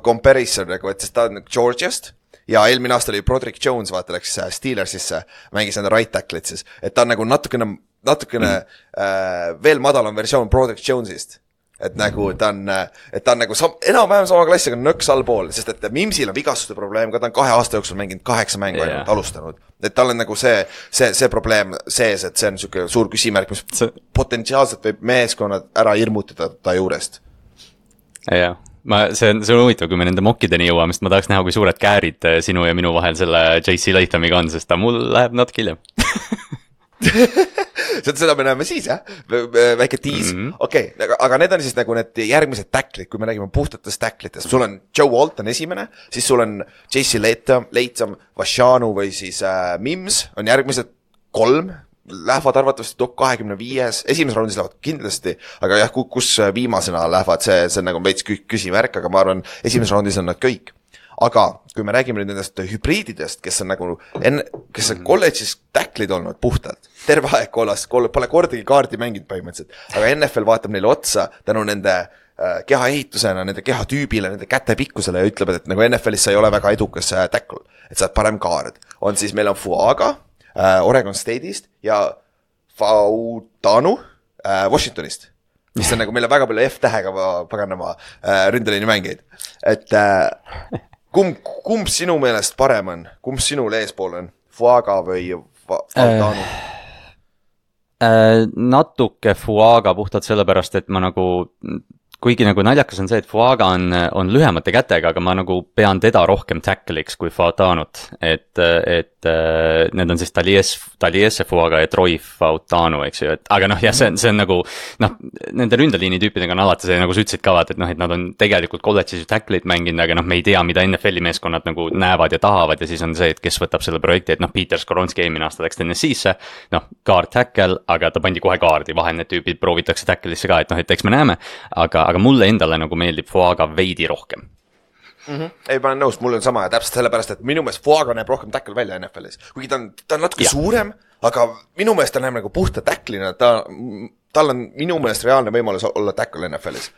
comparison nagu, et sest ta on Georgiast ja eelmine aasta oli Broderick Jones, vaata, läks Steelersisse, mängis enda right tackle'it siis, et ta on nagu natukene, natukene mm. äh, veel madalam versioon Broderick Jones'ist. et nagu ta on, et ta on nagu sam, enam-vähem sama klassiga nõks allpool, sest et Mimsil on vigastuste probleem, ka ta on kahe aasta jooksul mänginud kaheksa mängu ainult yeah. alustanud. Et tal on nagu see, see, see probleem sees, et see on niisugune suur küsimärk, mis see... potentsiaalselt võib meeskonnad ära hirmutada ta juurest. Jah, ma, see on, see on huvitav, kui me nende mokkideni jõuame, sest ma tahaks näha, kui suured käärid sinu ja minu vahel selle J C Lathamiga on, sest ta mul läheb natuke hiljem. seda me näeme siis, jah? Väike tiis. Mm -hmm. Okei, okay, aga need on siis nagu need järgmised tacklid, kui me räägime puhtatest tacklitest. Sul on Joe Walt on esimene, siis sul on J C Latham, Latham, Vashanu või siis äh, Mims on järgmised kolm. Lähevad arvatavasti top kahekümne viies, esimeses raundis lähevad kindlasti, aga jah, kus viimasena lähevad, see, see on nagu veits küsimärk, aga ma arvan, esimeses raundis on nad kõik. Aga kui me räägime nüüd nendest hübriididest, kes on nagu, enne, kes on kolledžis tacklid olnud puhtalt, terve aeg kollast, pole kordagi kaardi mänginud põhimõtteliselt, aga N F L vaatab neile otsa tänu nende äh, keha ehitusena, nende keha tüübile, nende käte pikkusele ja ütlevad, et nagu N F L-is sa ei ole väga edukas äh, tackle, et sa oled parem kaard. On siis, meil on Fuaga äh, Oregon State'ist ja Fautanu äh, Washingtonist, mis on nagu, meil on väga palju F-tähega paganama äh, ründeliini mängeid. Et äh, kumb, kumb sinu meelest parem on? Kumb sinul eespool on? Fuaga või Fautanu? Äh, äh, natuke Fuaga puhtalt sellepärast, et ma nagu... Kuigi nagu naljakas on see, et Fuaga on, on lühemate kätega, aga ma nagu pean teda rohkem tackliks kui Fautanut. Et, et need on siis Talies, Taliese Fuaga ja Troy Fautanu, eks ju. Et, aga noh, jah, see on, see on nagu, noh, nende ründeliini tüüpidega on alati see, nagu sa ütlesid ka, et noh, et nad on tegelikult kolledžis tacklit mänginud, aga noh, me ei tea, mida N F L-i meeskonnad nagu näevad ja tahavad ja siis on see, et kes võtab selle projekti, et noh, Peter Skoronski eelmine aasta läks Tennessee'sse, noh, guard tackle, aga ta pandi kohe kaardi, vahel need tüübid proovitakse tackle'isse ka, et noh, et eks me näeme, aga aga mulle endale nagu meeldib Fuaga veidi rohkem. Mm-hmm. Ei, ma olen nõus, mul on sama ja täpselt sellepärast, et minu meelest Fuaga näeb rohkem tackle välja N F L-is. Kuigi ta on, ta on natuke ja. suurem, aga minu meelest ta näeb nagu puhta tacklina, ta, tal on minu meelest reaalne võimalus olla tackle N F L-is.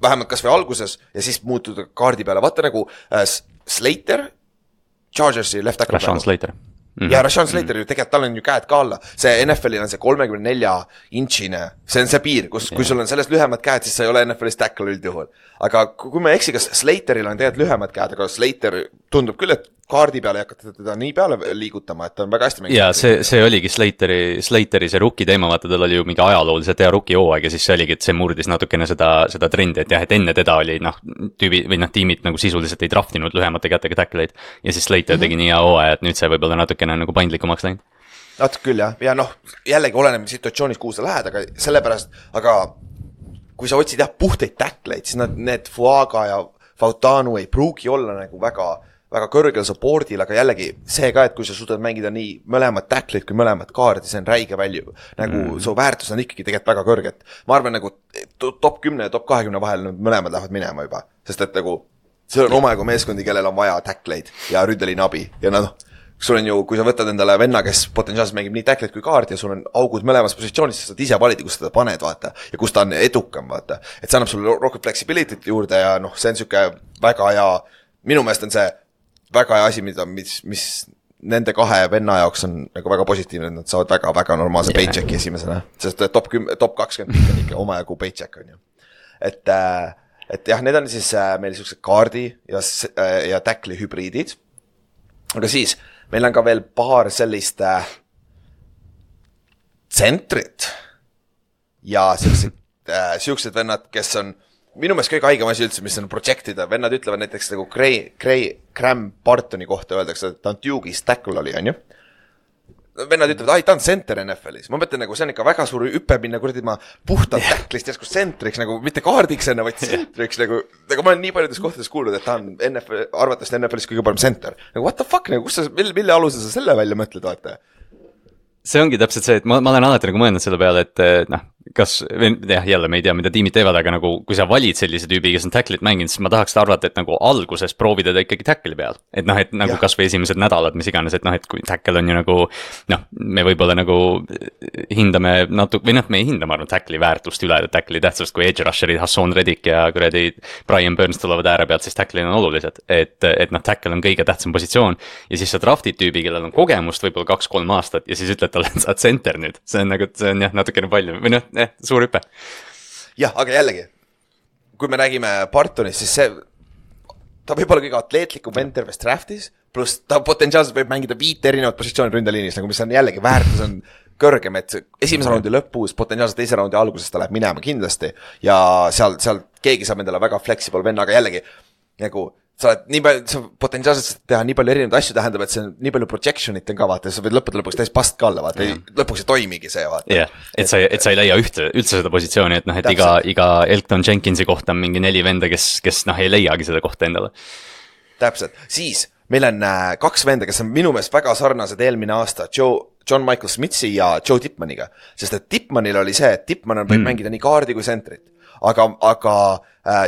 Vähemalt kas või alguses ja siis muutuda kaardi peale. Vaata nagu äh, Slater, Chargersi left tackle. Rashawn Slater. Mm-hmm. Ja Rashawn Slater ju tegelikult, tal on ju käed ka alla. See N F L-il on see kolmekümne nelja inčine, see on see piir, kus, kui sul on sellest lühemad käed, siis sa ei ole N F L-is tackle üldjuhul. Aga kui me eksi, kas Slateril on tegelikult lühemad käed, aga Slater tundub küll, et kaardi peale ei hakata teda nii peale liigutama, et ta on väga hästi mänginud. Ja see, see oligi Slateri, Slateri see rookie teema, vaata tal oli ju mingi ajalooliselt hea rookie hooaeg ja siis see oligi, et see murdis natukene seda, seda trendi, et jah, et enne teda oli noh, tüübi, või noh, tiimid nagu sisuliselt ei draftinud lühemate kätega tackleid ja siis Slater mm-hmm. tegi nii hea hooaja, et nüüd see võib olla natukene nagu paindlikumaks läinud. Natuke küll jah, ja noh, jällegi oleneb situatsioonis, kuhu sa lähed, aga sellepärast, aga kui sa otsid jah puhteid tackleid, siis nad, need Fuaga ja Fautanu ei pruugi olla nagu väga väga kõrgel supportil, aga jällegi see ka, et kui sa suudad mängida nii mõlemad tackleid kui mõlemad kaardi, see on räige valju. Nagu mm. su väärtus on ikkagi tegelikult väga kõrget. Ma arvan nagu top kümne ja top kahekümne vahel mõlemad lähevad minema juba, sest et nagu see on omajagu meeskondi, kellel on vaja tackleid ja ründeliin abi ja noh, sul on ju, kui sa võtad endale venna, kes potentsiaalselt mängib nii tackleid kui kaardi ja sul on augud mõlemas positsioonis, sa saad ise valida, kus seda paned, vaata, ja kus ta on edukam, vaata. Et see annab sulle rohkem flexibility't juurde ja noh, see on siuke väga hea, minu meelest on see väga hea asi, mida, mis, mis nende kahe venna jaoks on nagu väga positiivne, et nad saavad väga, väga normaalse yeah. paychecki esimesena, sest top kümme, top kakskümmend on ikka omajagu paycheck on ju. Et, et jah, need on siis meil sellised kaardi ja, ja tackli hübriidid, aga siis meil on ka veel paar sellist tsentrit ja sellised, äh, siuksed vennad, kes on minu meelest kõige haigem asi üldse, mis on projektida. Vennad ütlevad näiteks nagu Gray, Gray, Graham Bartoni kohta öeldakse, et ta on Duke'is tackle oli, on ju. Vennad ütlevad, ai, ta on center N F L-is. Ma mõtlen, nagu see on ikka väga suur hüppe minna, kuradi ma puhtalt yeah. tacklist järsku centriks, nagu mitte kaardiks enne, vaid centriks, nagu, nagu ma olen nii paljudes kohtades kuulnud, et ta on N F L, arvatavasti N F L-is kõige parem center. Nagu what the fuck, nagu kus sa, mille, mille alusel sa selle välja mõtled, vaata? See ongi täpselt see, et ma, ma olen alati nagu mõelnud selle peale, et noh, kas, jah, jälle me ei tea, mida tiimid teevad, aga nagu kui sa valid sellise tüübi, kes on tacklit mänginud, siis ma tahaks arvata, et nagu alguses proovida ta ikkagi tackli peal. Et noh, et nagu ja. Kas või esimesed nädalad, mis iganes, et noh, et kui tackle on ju nagu, noh, me võib-olla nagu hindame natuke, või noh, me ei hinda, ma arvan, tackli väärtust üle, tackli tähtsust, kui edge rusherid, Hassan Reddick ja kuradi Brian Burns tulevad ääre pealt, siis tackli on olulised. Et, et noh, tackle on kõige tähtsam positsioon ja siis sa draftid tüübi, kellel on kogemust võib-olla kaks-kolm aastat ja siis ütled talle, et sa oled center nüüd. See on nagu, see on jah, natukene palju, või noh, eh, suur hüpe. Jah, aga jällegi, kui me räägime Bartonist, siis see, ta võib olla kõige atleetlikum vend terves draftis, pluss ta potentsiaalselt võib mängida viit erinevat positsiooni ründeliinis, nagu mis on jällegi väärtus on kõrgem, et esimese raundi lõpus, potentsiaalselt teise raundi alguses ta läheb minema kindlasti ja seal, seal keegi saab endale väga flexible venna, aga jällegi nagu sa oled nii palju, sa potentsiaalselt teha nii palju erinevaid asju tähendab, et see on nii palju projection'it on ka vaata, sa võid lõppuda lõpuks täis past ka alla, vaata, lõpuks ei toimigi see, vaata. jah yeah., et sa, et sa ei leia ühte, üldse seda positsiooni, et noh, et iga, iga Elton Jenkinsi kohta on mingi neli venda, kes, kes noh, ei leiagi seda kohta endale. Täpselt, siis meil on äh, kaks venda, kes on minu meelest väga sarnased eelmine aasta, Joe, John Michael Smitsi ja Joe Tipmaniga, sest et Tipmanil oli see, et Tipman võib mm. mängida nii kaardi kui sentrit, aga, aga äh,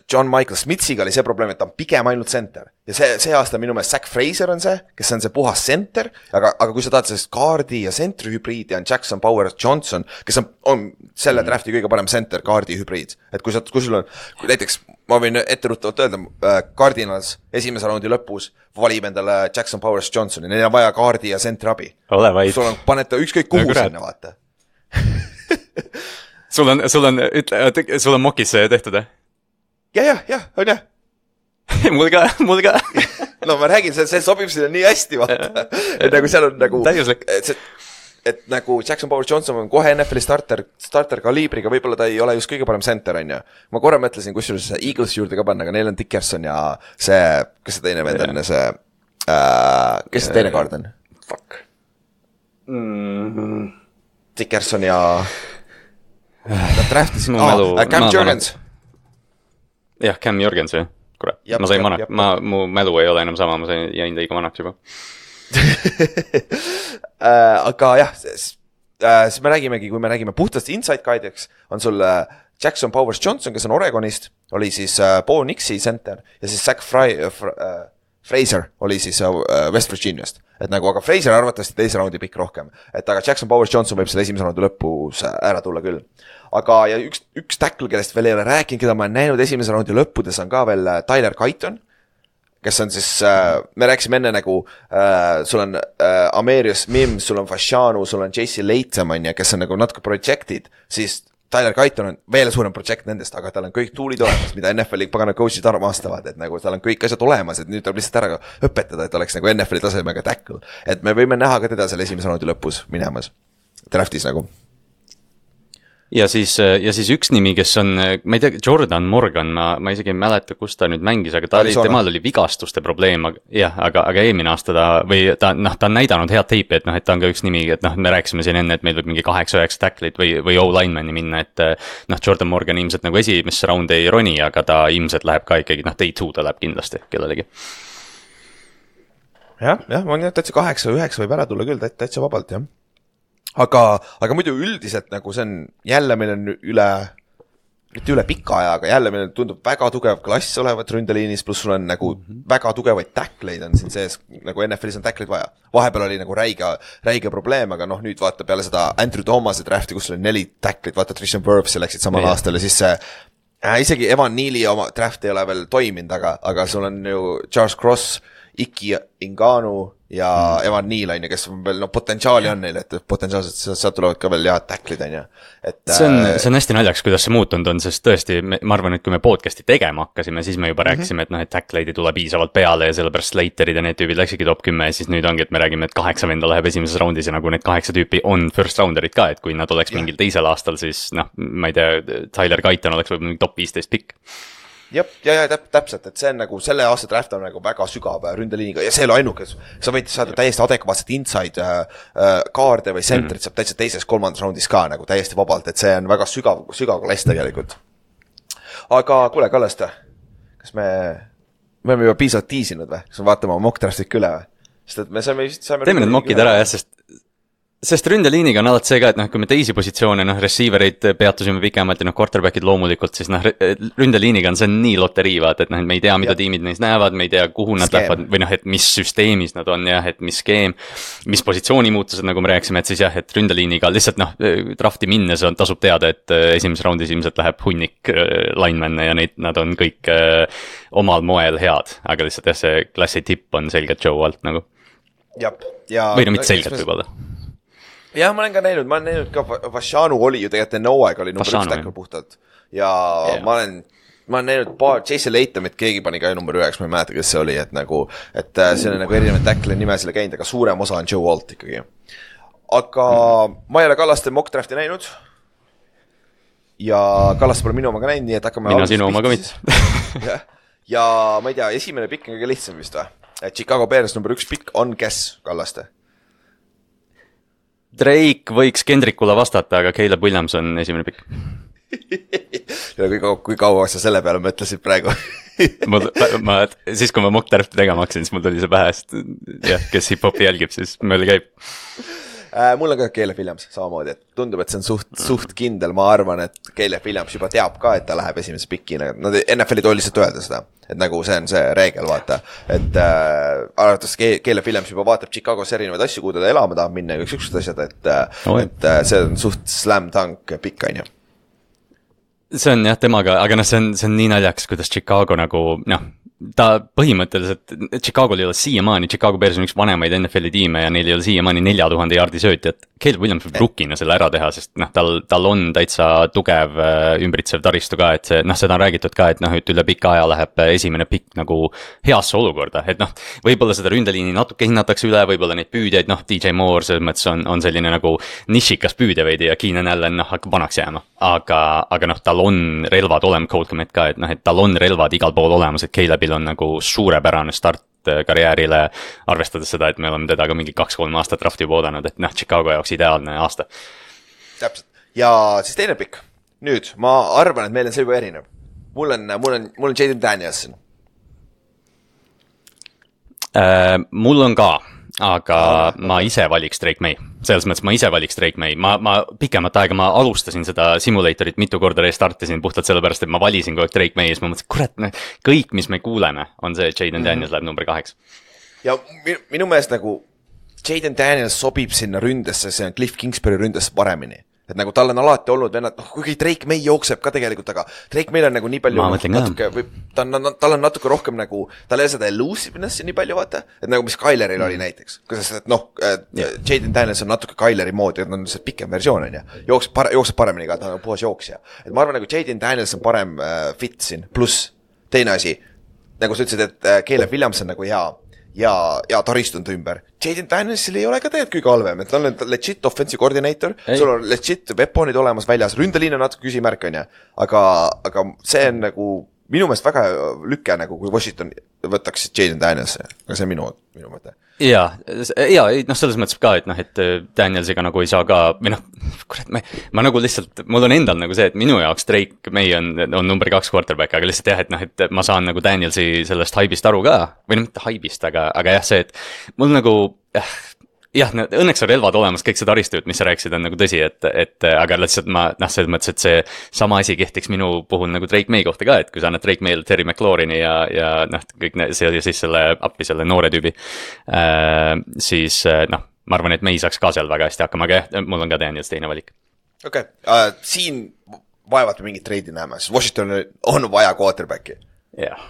John Michael Smitsiga oli see probleem, et ta on pigem ainult center ja see, see aasta minu meelest Zach Fraser on see, kes on see puhas center, aga, aga kui sa tahad sellest kaardi ja sentri hübriidi on Jackson Powers Johnson, kes on, on selle mm. drafti kõige parem center kaardi hübriid, et kui sa, kui sul on, kui näiteks ma võin etteruttavalt öelda, äh, Cardinals esimese raundi lõpus valib endale Jackson Powers Johnsoni, neil on vaja kaardi ja sentri abi. Ole vaid. Sul on, panete ükskõik kuhu no, sinna, vaata. sul on, sul on, ütle, sul on mokis tehtud, eh? Ja, ja, ja, on jah. mul ka, mul ka. no ma räägin, see, see sobib sinna nii hästi, vaata. et nagu seal on nagu... Täiuslik. Et, see, et nagu Jackson Powers Johnson on kohe N F L-i starter, starter kaliibriga, võib-olla ta ei ole just kõige parem center, on ju. Ma korra mõtlesin, kusjuures Eagles juurde ka panna, aga neil on Dickerson ja see, kes see teine vend on, see, äh, kes see teine kaard on? Fuck. Mm-hmm. Dickerson ja nad draftisid no, oh, äh, Cam Jurgens. jah, Cam Jurgens, jah. Kurat, ma sain manak, ma, mu mälu ei ole enam sama, ma sain, jäin liiga manaks juba. äh, aga jah, siis äh, me räägimegi, kui me räägime puhtast inside guide'iks, on sul äh, Jackson Powers Johnson, kes on Oregonist, oli siis äh, Bo Nixi center ja siis Zach Fry, äh, Fr, äh, Fraser oli siis äh, West Virginiast. Et nagu, aga Fraser arvatavasti teise raundi pikk rohkem. Et aga Jackson Powers Johnson võib selle esimese raundi lõpus ära tulla küll. Aga ja üks, üks tackle, kellest veel ei ole rääkinud, keda ma olen näinud esimese raundi lõppudes on ka veel Tyler Guyton, kes on siis, äh, me rääkisime enne nagu, äh, sul on äh, Amarius Mims, sul on Fashanu, sul on J C Latham, kes on nagu natuke projected, siis Tyler Guyton on veel suurem project nendest, aga tal on kõik tuulid olemas, mida N F L-i pagana coach'id armastavad, et nagu tal on kõik asjad olemas, et nüüd tuleb lihtsalt ära õpetada, et oleks nagu N F L-i tasemega tackle. Et me võime näha ka teda selle esimese raundi lõpus minemas draftis nagu. Ja siis, ja siis üks nimi, kes on, ma ei tea, Jordan Morgan, ma, ma isegi ei mäleta, kus ta nüüd mängis, aga ta oli, temal oli vigastuste probleem, aga, jah, aga, aga eelmine aasta ta, või ta, noh, ta on näidanud head teipi, et noh, et ta on ka üks nimi, et noh, me rääkisime siin enne, et meil võib mingi kaheksa üheksa tacklit või, või O-linemani minna, et noh, Jordan Morgan ilmselt nagu esimesse raundi ei roni, aga ta ilmselt läheb ka ikkagi, noh, day two ta läheb kindlasti kellelegi. jah, jah, ma olen täitsa kaheksa üheksa võib ära tulla küll, täitsa vabalt, jah. Aga, aga muidu üldiselt nagu see on, jälle meil on üle, mitte üle pika aja, aga jälle meil tundub väga tugev klass olevat ründeliinis, pluss sul on nagu mm-hmm. väga tugevaid tackleid on siin sees, nagu N F L-is on tackleid vaja. Vahepeal oli nagu räige, räige probleem, aga noh, nüüd vaata peale seda Andrew Thomase drafti, kus sul on neli tackleid, vaata Trishan Wirfsi läksid samal yeah. aastal ja siis see, äh, isegi Evan Neali oma draft ei ole veel toiminud, aga, aga sul on ju Charles Cross, Iki Inganu ja mm. Evan Neal on ju, kes on veel, no potentsiaali on neil, et potentsiaalselt sealt tulevad ka veel head tacklid on ju. Et, see on, see on hästi naljaks, kuidas see muutunud on, sest tõesti, ma arvan, et kui me podcasti tegema hakkasime, siis me juba rääkisime, mm-hmm. et noh, et tackleid ei tule piisavalt peale ja sellepärast Slaterid ja need tüübid läksidki top kümme ja siis nüüd ongi, et me räägime, et kaheksa venda läheb esimeses raundis ja nagu need kaheksa tüüpi on first rounderid ka, et kui nad oleks yeah. mingil teisel aastal, siis noh, ma ei tea, Tyler Guyton oleks võib-olla top viisteist pikk. Jep, ja, ja täp, täpselt, et see on nagu, selle aasta draft on nagu väga sügav ründeliiniga ja see ei ole ainuke, sa võid saada täiesti adekvaatset inside äh, kaarde või centrit mm. saab täitsa teises kolmandas raundis ka nagu täiesti vabalt, et see on väga sügav, sügav klass tegelikult. Aga kuule, Kallaste, kas me, me oleme juba piisavalt tiisinud või? Kas me vaatame mock draftid üle või? Sest et me saime, saime teeme need mockid ära, jah, sest Sest ründeliiniga on alati see ka, et noh, kui me teisi positsioone, noh, receiverid peatusime pikemalt ja noh, quarterbackid loomulikult, siis noh, ründeliiniga on see nii loterii, vaat, et noh, me ei tea, mida ja. tiimid neist näevad, me ei tea, kuhu nad lähevad, või noh, et mis süsteemis nad on, jah, et mis skeem, mis positsiooni muutused, nagu me rääksime, et siis jah, et ründeliiniga lihtsalt noh, drafti minnes on, tasub teada, et esimeses raundis ilmselt läheb hunnik lineman'e ja neid, nad on kõik äh, omal moel head, aga lihtsalt jah, see klassi tipp on selgelt Joe Alt nagu. Jab, ja või no mitte selgelt võib-olla. jah, ma olen ka näinud, ma olen näinud ka, Fashanu oli ju tegelikult enne hooaeg oli number üks tackle puhtalt ja yeah. ma olen ma olen näinud paar Jason Latamit, keegi pani ka number üheks, ma ei mäleta, kes see oli, et nagu, et see on nagu erinevad tackle nimesele käinud, aga suurem osa on Joe Alt ikkagi. Aga ma ei ole Kallaste mock drafti näinud ja Kallaste pole minu oma ka näinud, nii et hakkame mina sinu oma ka mitte. ja, ja ma ei tea, esimene pikk on kõige lihtsam vist või? Et Chicago Bears number üks pikk on kes Kallaste? Drake võiks Kendrickule vastata, aga Caleb Williams on esimene pikk. ja kui kaua, kui kaua sa selle peale mõtlesid praegu? ma, ma, siis kui ma mock drafti tegema hakkasin, siis mul tuli see pähe, sest jah, kes hip-hopi jälgib, siis mööda käib. Äh, mul on ka Caleb Williams samamoodi, et tundub, et see on suht, suht kindel, ma arvan, et Caleb Williams juba teab ka, et ta läheb esimese pikina, nad N F L-i tooli lihtsalt öelda seda, et nagu see on see reegel, vaata, et äh, arvates Caleb Williams juba vaatab Chicagos erinevaid asju, kuhu ta elama tahab minna ja üks üksused asjad, et, oh, et äh, see on suht slam dunk pikk, on ju. See on jah temaga, aga noh, see on, see on nii naljakas, kuidas Chicago nagu, noh, ta põhimõtteliselt, Chicago'l ei ole siiamaani, Chicago Bears on üks vanemaid N F L-i tiime ja neil ei ole siiamaani nelja tuhande jaardi söötjat. Caleb Williams võib rukkina selle ära teha, sest noh, tal, tal on täitsa tugev ümbritsev taristu ka, et see, noh, seda on räägitud ka, et noh, et üle pika aja läheb esimene pikk nagu heasse olukorda, et noh, võib-olla seda ründeliini natuke hinnatakse üle, võib-olla neid püüdjaid, noh, D J Moore selles mõttes on, on selline nagu nišikas püüdja veidi ja Keenan Allen, noh, hakkab vanaks jääma, aga, aga noh, tal on relvad olema, Colt Komet ka, et noh, et tal on relvad igal pool olemas, et Calebil on nagu suurepärane start karjäärile, arvestades seda, et me oleme teda ka mingi kaks-kolm aastat drafti juba oodanud, et noh, Chicago jaoks ideaalne aasta. Täpselt. Ja siis teine pikk. Nüüd, ma arvan, et meil on see juba erinev. Mul on, mul on, mul on Jaden Danielson. Äh, mul on ka, aga ah, ma ise valiks Drake May. Selles mõttes ma ise valiks Drake May. Ma, ma pikemat aega ma alustasin seda simulatorit, mitu korda restartisin puhtalt sellepärast, et ma valisin kogu aeg Drake May ja siis ma mõtlesin, kurat, kõik, mis me kuuleme, on see, et Jaden Daniels mm-hmm. läheb number kaheks. Ja minu, minu meelest nagu Jaden Daniels sobib sinna ründesse, see on Cliff Kingsbury ründesse paremini. Et nagu tal on alati olnud vennad, noh, kuigi Drake May jookseb ka tegelikult, aga Drake May on nagu nii palju, natuke, või, ta on, tal on natuke rohkem nagu, tal ei ole seda elusiveness nii palju, vaata, et nagu mis Kyleril mm. oli näiteks, kuidas, et noh, yeah. Jaden Daniels on natuke Kyleri moodi, et on see pikem versioon, on ja, jookseb, par, jookseb paremini ka, ta on puhas jooksja. Et ma arvan, nagu Jaden Daniels on parem äh, fit siin, pluss teine asi, nagu sa ütlesid, et äh, Caleb Williams on nagu hea, ja, ja taristund ümber. Jaden Danielsil ei ole ka tegelikult kõige halvem, et tal on legit offensive coordinator, ei. Sul on legit weaponid olemas väljas, ründeliin on natuke küsimärk, on ja, aga, aga see on nagu minu meelest väga lükke, nagu kui Washington võtaks Jaden Danielsi, aga see on minu, minu mõte. Jaa, jaa, noh, selles mõttes ka, et noh, et Danielsiga nagu ei saa ka, või noh, kurat, ma, ma nagu lihtsalt, mul on endal nagu see, et minu jaoks Drake May on, on number kaks quarterback, aga lihtsalt jah, et noh, et ma saan nagu Danielsi sellest haibist aru ka, või noh, mitte haibist, aga, aga jah, see, et mul nagu, jah, jah, õnneks on relvad olemas, kõik see taristu, mis sa rääkisid, on nagu tõsi, et, et aga lihtsalt ma, noh, selles mõttes, et see sama asi kehtiks minu puhul nagu Drake May kohta ka, et kui sa annad Drake May'le Terry McLaurini ja, ja noh, kõik ne, see oli siis selle appi, selle noore tüübi, äh, siis noh, ma arvan, et May saaks ka seal väga hästi hakkama, aga jah, mul on ka Daniels teine valik. Okei, okay. uh, siin vaevat mingit treidi näeme, sest Washington on vaja quarterbacki. jah yeah.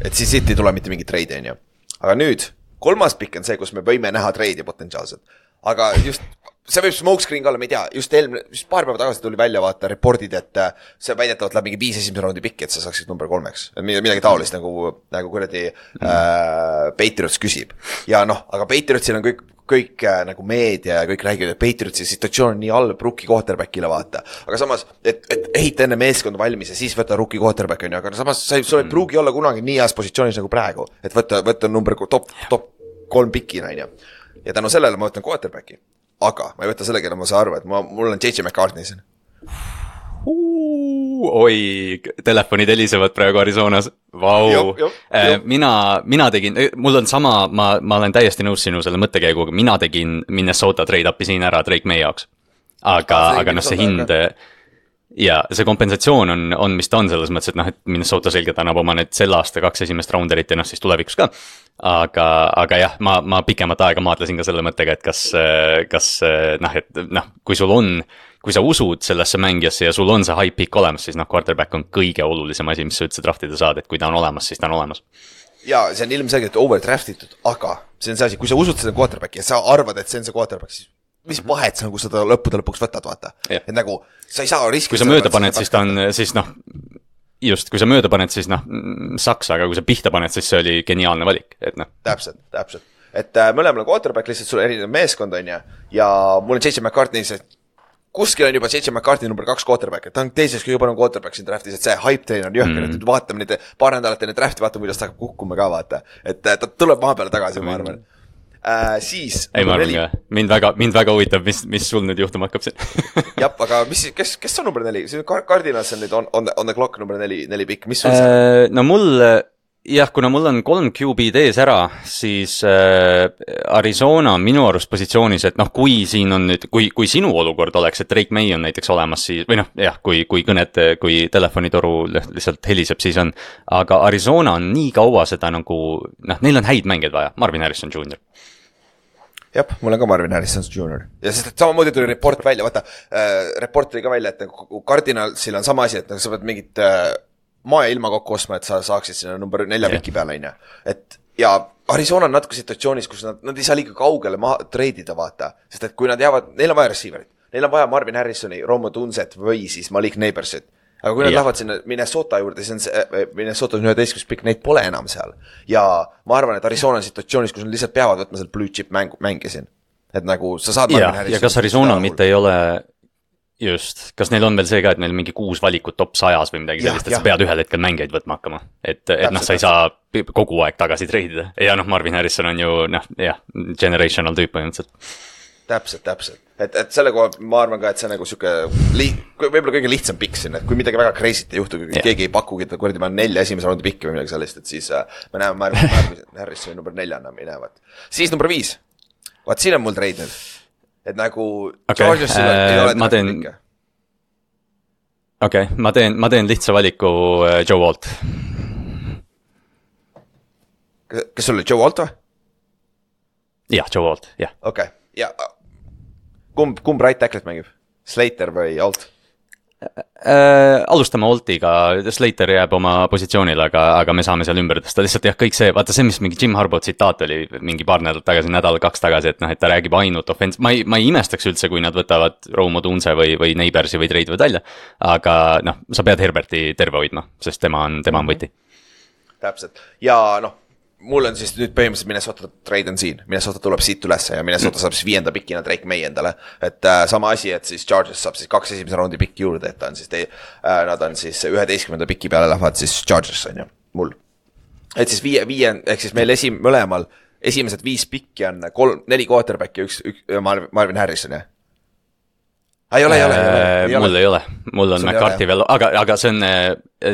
Et siis siit ei tule mitte mingit treidi, on ju. Aga nüüd kolmas pikk on see, kus me võime näha treidi potentsiaalselt. Aga just, see võib smokescreen ka olla, me ei tea, just eelmine, just paar päeva tagasi tuli välja vaata reportid, et see väidetavalt läheb mingi viis esimese raundi pikk, et sa saaksid number kolmeks. Midagi taolist nagu, nagu kuradi mm. äh, Patriots küsib. Ja noh, aga Patriotsil on kõik, kõik äh, nagu meedia ja kõik räägivad, et Patriotsi situatsioon on nii halb rookie quarterbackile vaata. Aga samas, et, et ehita enne meeskond valmis ja siis võtta rookie quarterback on ju, aga samas sa ei mm. pruugi olla kunagi nii heas positsioonis nagu praegu, et võtta, võtta number top, top kolm pikina on ju. Ja tänu sellele ma võtan quarterbacki. Aga ma ei võta selle, kelle ma saan arvu, et ma, mul on J J McCartney siin. Oi, telefonid helisevad praegu Arizonas. Vau. Jop, jop, jop. Mina, mina tegin, mul on sama, ma, ma olen täiesti nõus sinu selle mõttekäiguga, mina tegin Minnesota trade-upi siin ära Drake May jaoks. Aga, ah, aga noh, see hind, ja see kompensatsioon on, on, mis ta on selles mõttes, et noh, et Minnesota selgelt annab oma need selle aasta kaks esimest rounderit ja noh, siis tulevikus ka. Aga, aga jah, ma, ma pikemat aega maadlesin ka selle mõttega, et kas, kas noh, et noh, kui sul on, kui sa usud sellesse mängijasse ja sul on see high pick olemas, siis noh, quarterback on kõige olulisem asi, mis sa üldse draftida saad, et kui ta on olemas, siis ta on olemas. Ja see on ilmselgelt overdraftitud, aga see on see asi, kui sa usud seda quarterbacki ja sa arvad, et see on see quarterback, siis mis vahet sa nagu seda lõppude lõpuks võtad, vaata. Et nagu, sa ei saa riskida. Kui sa mööda paned, siis ta on, siis noh, just, kui sa mööda paned, siis noh, saks, aga kui sa pihta paned, siis see oli geniaalne valik, et noh. Täpselt, täpselt. Et äh, mõlemal on quarterback, lihtsalt sul erinev meeskond on ja, ja mul on J J McCartney, see kuskil on juba J J McCartney number kaks quarterback, et ta on teiseks kõige parem quarterback siin draftis, et see hype train on jõhker, mm. et vaatame neid paar nädalat enne drafti, vaatame, kuidas ta hakkab kukkuma ka vaata, et ta tuleb maa peale tagasi, ma arvan. Äh, siis ei, ma arvan ka, mind väga, mind väga huvitab, mis, mis sul nüüd juhtuma hakkab siin. Jab, aga mis, kes, kes on number neli? See on Cardinals on nüüd on, on, on the clock number neli, neli pikk, mis sul see äh, no mul, jah, kuna mul on kolm Q B-d ees ära, siis äh, Arizona on minu arust positsioonis, et noh, kui siin on nüüd, kui, kui sinu olukord oleks, et Drake May on näiteks olemas, siis, või noh, jah, kui, kui kõned, kui telefonitoru lihtsalt heliseb, siis on, aga Arizona on nii kaua seda nagu, noh, neil on häid mängeid vaja, Marvin Harrison Junior Jep, mul on ka Marvin Harrison Junior Ja sest, et samamoodi tuli report välja, vaata, äh, report tuli ka välja, et Cardinalsil on sama asi, et sa pead mingit äh, maa ja ilma kokku ostma, et sa saaksid sinna number nelja piki peale, on ja. Et, ja Arizona on natuke situatsioonis, kus nad, nad ei saa liiga kaugele maa treidida, vaata. Sest, et kui nad jäävad, neil on vaja receiverit. Neil on vaja Marvin Harrisoni, Romo Tunset või siis Malik Neighborsit. Aga kui nad ja. lähevad sinna Minnesota juurde, siis on see, Minnesota on üheteistkümnes pikk, neid pole enam seal. Ja ma arvan, et Arizona on situatsioonis, kus nad lihtsalt peavad võtma seal blue chip mäng, mänge siin. Et nagu sa saad ja, ja kas Arizona mitte ei ole just, kas neil on veel see ka, et neil mingi kuus valikut top sajas või midagi sellist, et ja. sa pead ühel hetkel mängeid võtma hakkama. Et, et noh, sa ei saa kogu aeg tagasi treidida. Ja noh, Marvin Harrison on ju, noh, jah, generational tüüp põhimõtteliselt. Täpselt, täpselt. Et, et selle koha ma arvan ka, et see nagu siuke li, võib-olla kõige lihtsam pikk siin, et kui midagi väga crazy't ei juhtu, yeah. keegi ei pakugi, et kuradi ma nelja esimese raundi pikki või midagi sellist, et siis äh, me näeme Marvin Harrison number neljana minevad. Siis number viis. Vaat siin on mul treid nüüd. Et nagu okay. Georgiasil äh, ei ole ma teen pikka. Okei, okay. ma teen, ma teen lihtsa valiku äh, Joe Walt. Kes sul oli Joe Walt või? Jah, Joe Walt, jah. Okei, okay. ja kumb, kumb right tacklet mängib? Slater või Alt? Äh, alustame Altiga, Slater jääb oma positsioonile, aga, aga me saame seal ümber tõsta. Lihtsalt jah, kõik see, vaata see, mis mingi Jim Harbaugh tsitaat oli mingi paar nädalat tagasi, nädal kaks tagasi, et noh, et ta räägib ainult offense. Ma ei, ma ei imestaks üldse, kui nad võtavad Romo Tunse või, või Neighborsi või treidivad välja. Aga noh, sa pead Herberti terve hoidma, sest tema on, tema on võti. Täpselt. Ja noh, mul on siis nüüd põhimõtteliselt Minnesota trade on siin. Minnesota tuleb siit ülesse ja Minnesota saab siis viienda pikina Drake May endale. Et äh, sama asi, et siis Chargers saab siis kaks esimese raundi pikki juurde, et ta on siis te, äh, nad on siis üheteistkümnenda pikki peale lähevad siis Chargers on ju, mul. Et siis viie, viie, ehk siis meil esim, mõlemal esimesed viis pikki on kolm, neli quarterbacki, üks, üks Marvin Harrison, jah? Ei ole, ei ole, ei ole, ei ole. Mul ei ole, mul on McCarthy veel, aga, aga see on,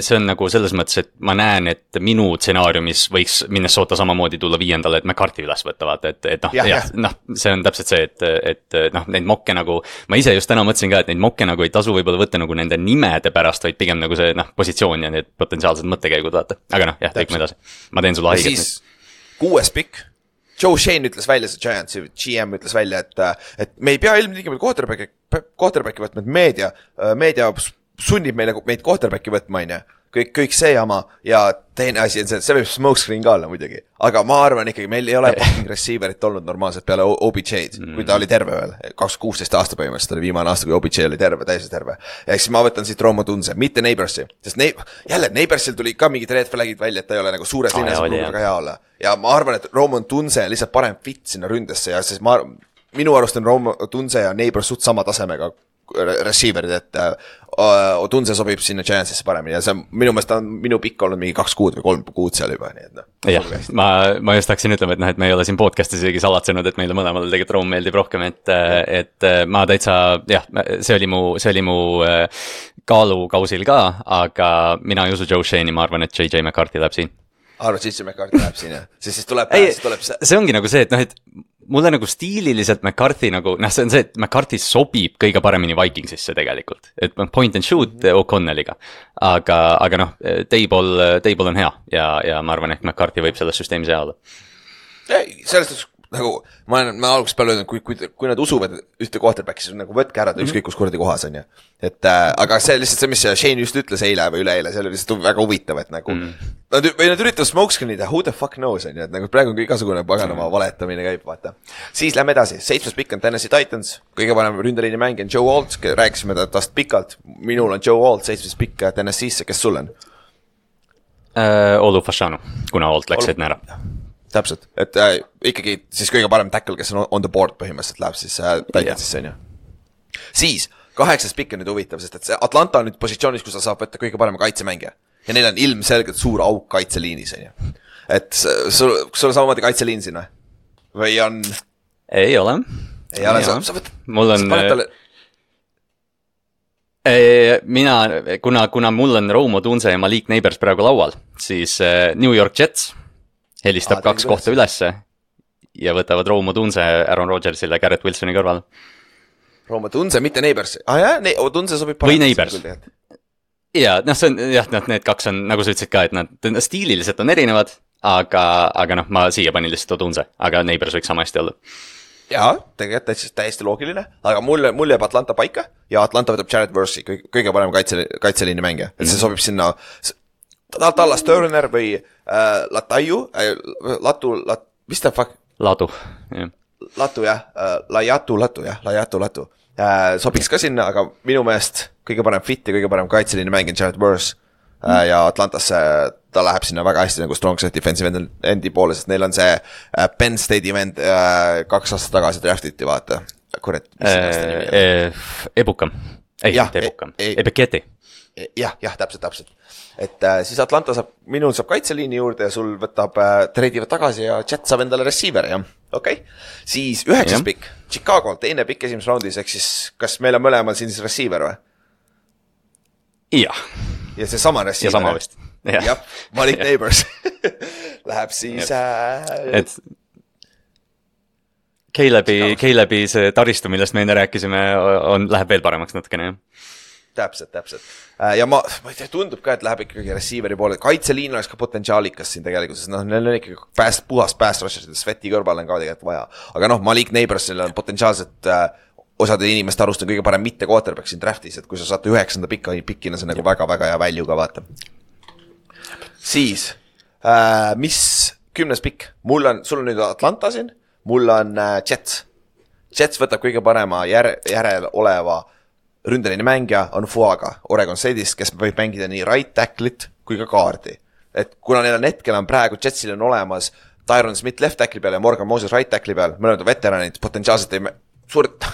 see on nagu selles mõttes, et ma näen, et minu stsenaariumis võiks Minnesota samamoodi tulla viiendale, et McCarthy üles võtavad, et, et noh, jah, jah, noh, see on täpselt see, et, et noh, neid mokke nagu, ma ise just täna mõtlesin ka, et neid mokke nagu ei tasu võib-olla võtta nagu nende nimede pärast, vaid pigem nagu see, noh, positsioon ja need potentsiaalsed mõttekäigud, vaata. Aga noh, jah, teik me edasi. Ma teen sulle haiget. Siis kuues pikk. Joe Shane ütles välja, see Giants, G M ütles välja, et, et me ei pea ilmtingimata quarterbacki, quarterbacki võtma, et meedia, meedia sunnib meile, meid quarterbacki võtma, on ja. Kõik, kõik see jama ja teine asi on see, see võib smokescreen ka olla muidugi. Aga ma arvan ikkagi, meil ei ole fucking receiverit olnud normaalselt peale O B J-d, mm. kui ta oli terve veel. kaks tuhat kuusteist aasta põhimõtteliselt oli viimane aasta, kui O B J oli terve, täiesti terve. Ehk siis ma võtan siit Romo Tunse, mitte Neighborsi. Sest ne- jälle, Neighborsil tuli ka mingid red flagid välja, et ta ei ole nagu suures linnas oh, väga hea olla. Ja ma arvan, et Romo Tunse lihtsalt parem fit sinna ründesse ja siis ma, minu arust on Romo Tunse ja Neighbor suht sama tasemega receiverid, et uh, Tunse sobib sinna Giantsisse paremini ja see minu meelest on minu pikk olnud mingi kaks kuud või kolm kuud seal juba, nii et noh. jah, ma, ma just hakkasin ütlema, et noh, et me ei ole siin podcast'is isegi salatsenud, et meile mõlemale tegelikult Room meeldib rohkem, et, et ma täitsa, jah, see oli mu, see oli mu kaalukausil ka, aga mina ei usu Joe Shane'i, ma arvan, et J J McCarthy läheb siin. Arvad, J J McCarthy läheb siin, jah? Siis siis tuleb, ei, siis tuleb see. see ongi nagu see, et noh, et mulle nagu stiililiselt McCarthy nagu, noh, see on see, et McCarthy sobib kõige paremini Vikingsisse tegelikult. Et point and shoot mm-hmm. O'Connelliga. Aga, aga noh, Table, Table on hea ja, ja ma arvan, et McCarthy võib selles süsteemis hea olla. Ei, sellest nagu, ma olen, ma alguses peale öelnud, kui, kui, kui nad usuvad ühte quarterbacki, siis nagu võtke ära ta ükskõik kus kuradi kohas on ja. Et äh, aga see lihtsalt see, mis Shane just ütles eile või üleeile, see oli lihtsalt väga huvitav, et nagu mm. nad, või nad üritavad smokescreenida, who the fuck knows on ja, et nagu praegu on igasugune paganama valetamine käib, vaata. Siis lähme edasi, seitsmes pikk on Tennessee Titans, kõige parem ründeliini mäng on Joe Alt, rääkisime tast pikalt, minul on Joe Alt, seitsmes pikk Tennessee'sse, kes sul on? äh, Olu Fashanu, kuna Olt läks Edna ära. Täpselt, et äh, ikkagi siis kõige parem tackle, kes on on the board põhimõtteliselt läheb siis äh, Titansisse on ju. Siis kaheksas pikk on nüüd huvitav, sest et see Atlanta on nüüd positsioonis, kus ta saab võtta kõige parema kaitsemängija. Ja neil on ilmselgelt suur auk kaitseliinis on ju. Et sul, sul on samamoodi kaitseliin siin või? Või on... Ei ole. Ei ole, sa, sa võtad... Mul on... Talle... Mina, kuna, kuna mul on Rome Odunze ja Malik Neighbors praegu laual, siis New York Jets helistab ah, kaks kohta ülesse ja võtavad Rome Odunze Aaron Rodgersile Garrett Wilsoni kõrval. Rome Odunze, mitte Neighbors. Ah jah, ne- Odunze sobib või Neighbors. Ja, noh, see on, jah, need kaks on, nagu sa ütlesid ka, et nad stiililiselt on erinevad, aga, aga noh, ma siia panin lihtsalt Odunze, aga Neighbors võiks sama hästi olla. Jaa, tegelikult täiesti, täiesti loogiline, aga mulle, mulle jääb Atlanta paika ja Atlanta võtab Jared Versi, kõige, kõige parem kaitse, kaitseliini mängija. Et see sobib sinna Dallas Turner või äh, Lataju, äh, Latu, lat, mis ta fuck? Latu, jah. Latu, jah, äh, Lajatu, Latu, jah, Lajatu, Latu. Äh, sobiks ka sinna, aga minu meelest kõige parem fit ja kõige parem kaitseliini mängija Jared Versi äh, ja Atlantasse ta läheb sinna väga hästi nagu strong set defensive endi poole, sest neil on see äh, Penn State'i vend äh, kaks aastat tagasi draftiti, vaata. Kurat, mis see aasta nimi on? E, Ebukam. Ei, mitte Ebukam. E, Ebeketi. Jah, jah, täpselt, täpselt. Et äh, siis Atlanta saab, minul saab kaitseliini juurde ja sul võtab äh, treidivad tagasi ja Jet saab endale receiver, jah. Okei. Okay. Siis üheksas pikk, Chicago, teine pikk esimeses raundis, ehk siis kas meil on mõlemal siin siis receiver või? Jah. Ja see sama receiver. Ja sama vist. Jah, ja, Malik Neighbors läheb siis... Äh... Et... Caleb'i, Caleb'i see taristu, millest me enne rääkisime, on, läheb veel paremaks natukene, jah. Täpselt, täpselt. Ja ma, ma ei tea, tundub ka, et läheb ikkagi receiveri poole. Kaitseliin oleks ka potentsiaalikas siin tegelikult, sest noh, neil on ikkagi pääst, puhast pääst rushes, Sveti kõrval on ka tegelikult vaja. Aga noh, Malik Neighborsil on potentsiaalselt äh, osade inimeste arust on kõige parem mitte quarterback siin draftis, et kui sa saad üheksanda pikka pikkina, see on nagu väga-väga hea value ka vaata. Siis, äh, mis kümnes pikk? Mul on, sul on nüüd Atlanta siin, mul on äh, Jets. Jets võtab kõige parema jär, järel oleva ründeline mängija on Fuaga Oregon State'ist, kes võib mängida nii right tacklit kui ka kaardi. Et kuna neil on hetkel on praegu Jetsil on olemas Tyron Smith left tackli peal ja Morgan Moses right tackli peal, mõlemad on veteranid, potentsiaalselt ei suurt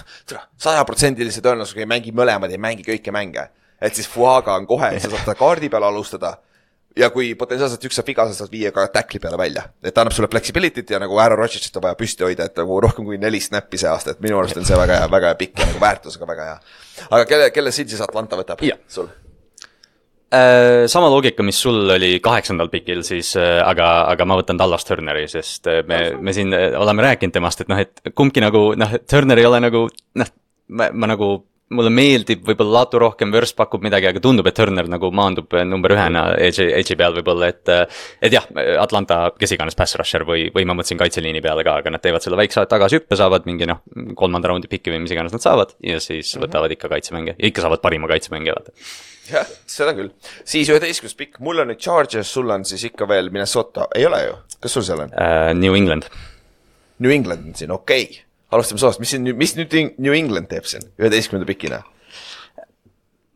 sajaprotsendilise tõenäosusega ei mängi mõlemad, ei mängi kõike mänge. Et siis Fuaga on kohe, sa saad ta kaardi peal alustada ja kui potentsiaalselt üks saab viga, sa saad viia ka tackli peale välja. Et ta annab sulle flexibility't ja nagu Aaron Rodgersit on vaja püsti hoida, et nagu rohkem kui neli snappi see aasta, et minu arust on see väga hea, väga hea pikk ja nagu väärtusega väga hea. Aga kelle, kelle siin siis Atlanta võtab ja. Sul? Äh, sama loogika, mis sul oli kaheksandal pikil, siis, äh, aga, aga ma võtan Dallas Turneri, sest me, me siin oleme rääkinud temast, et noh, et kumbki nagu, noh, Turner ei ole nagu, noh, ma, ma nagu mulle meeldib võib-olla Latu rohkem, Verst pakub midagi, aga tundub, et Turner nagu maandub number ühena Edge'i peal võib-olla, et et jah, Atlanta, kes iganes pass rusher või, või ma mõtlesin kaitseliini peale ka, aga nad teevad selle väikse tagasi hüppe, saavad mingi noh, kolmanda raundi pikki või mis iganes nad saavad ja siis mm-hmm. võtavad ikka kaitsemänge ja ikka saavad parima kaitsemänge, vaata. Jah, seda küll. Siis üheteistkümnes pikk, mul on nüüd Chargers, sul on siis ikka veel Minnesota, ei ole ju? Kas sul seal on? Uh, New England. New England on siin, okei. Okay. Alustame soast, mis, siin, mis nüüd New England teeb siin üheteistkümnenda pikina?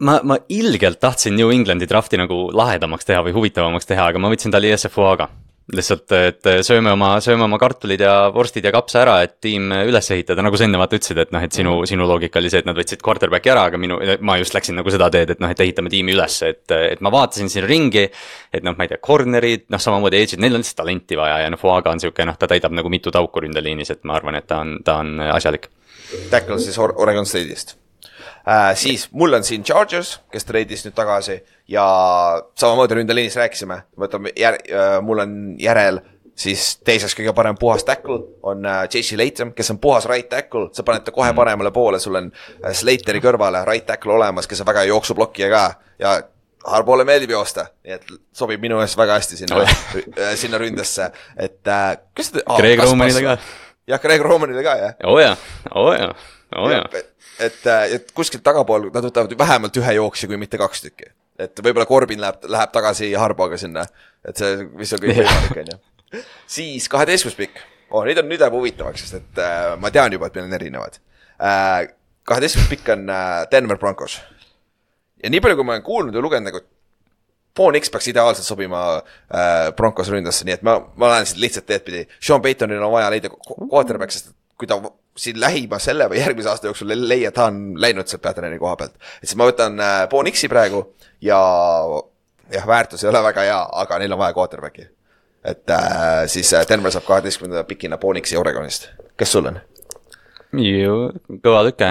Ma, ma ilgelt tahtsin New Englandi drafti nagu lahedamaks teha või huvitavamaks teha, aga ma võtsin tali S F O-ga. Lihtsalt, et sööme oma, sööme oma kartulid ja vorstid ja kapsa ära, et tiim üles ehitada, nagu sa enne vaata ütlesid, et noh, et sinu, sinu loogika oli see, et nad võtsid quarterbacki ära, aga minu, ma just läksin nagu seda teed, et noh, et ehitame tiimi üles, et, et ma vaatasin siin ringi, et noh, ma ei tea, cornerid, noh, samamoodi edge'id, neil on lihtsalt talenti vaja ja noh, Fuaga on siuke, noh, ta täidab nagu mitu tauku ründeliinis, et ma arvan, et ta on, ta on asjalik. Tackle siis Oregon State'ist. Äh, siis mul on siin Chargers, kes treidis nüüd tagasi ja samamoodi ründeliinis rääkisime, võtame jär, äh, mul on järel siis teiseks kõige parem puhas tackle on äh, J C Latham, kes on puhas right tackle, sa paned ta kohe paremale poole, sul on äh, Slateri kõrvale right tackle olemas, kes on väga jooksublokija ka ja Harboole meeldib joosta, nii et sobib minu eest väga hästi sinna, äh, sinna ründesse, et äh, kes te... Ah, Greg Romanile ka. Jah, Greg Romanile ka, jah. Oo jah, oo jah, oo jah. Et, et kuskilt tagapool nad võtavad vähemalt ühe jooksi, kui mitte kaks tükki. Et võib-olla Corbin läheb, läheb tagasi Harboga sinna. Et see, mis on kõik võimalik, on ju. Siis kaheteistkümnes pikk. Oh, nüüd on nüüd läheb huvitavaks, sest et äh, ma tean juba, et meil on erinevad. Äh, kaheteistkümnes pikk on äh, Denver Broncos. Ja nii palju, kui ma olen kuulnud ja lugenud, nagu Bo Nix peaks ideaalselt sobima äh, Broncos ründasse, nii et ma, ma lähen siit lihtsalt teed pidi. Sean Paytonil on vaja leida quarterback, sest kui ta siin lähima selle või järgmise aasta jooksul leia, ta on läinud seal Patterni koha pealt. Et siis ma võtan äh, Bo Nixi praegu ja jah, väärtus ei ole väga hea, aga neil on vaja quarterbacki. Et äh, siis Denver saab kaheteistkümnenda pikina Bo Nixi Oregonist. Kes sul on? Ju, kõva lüke.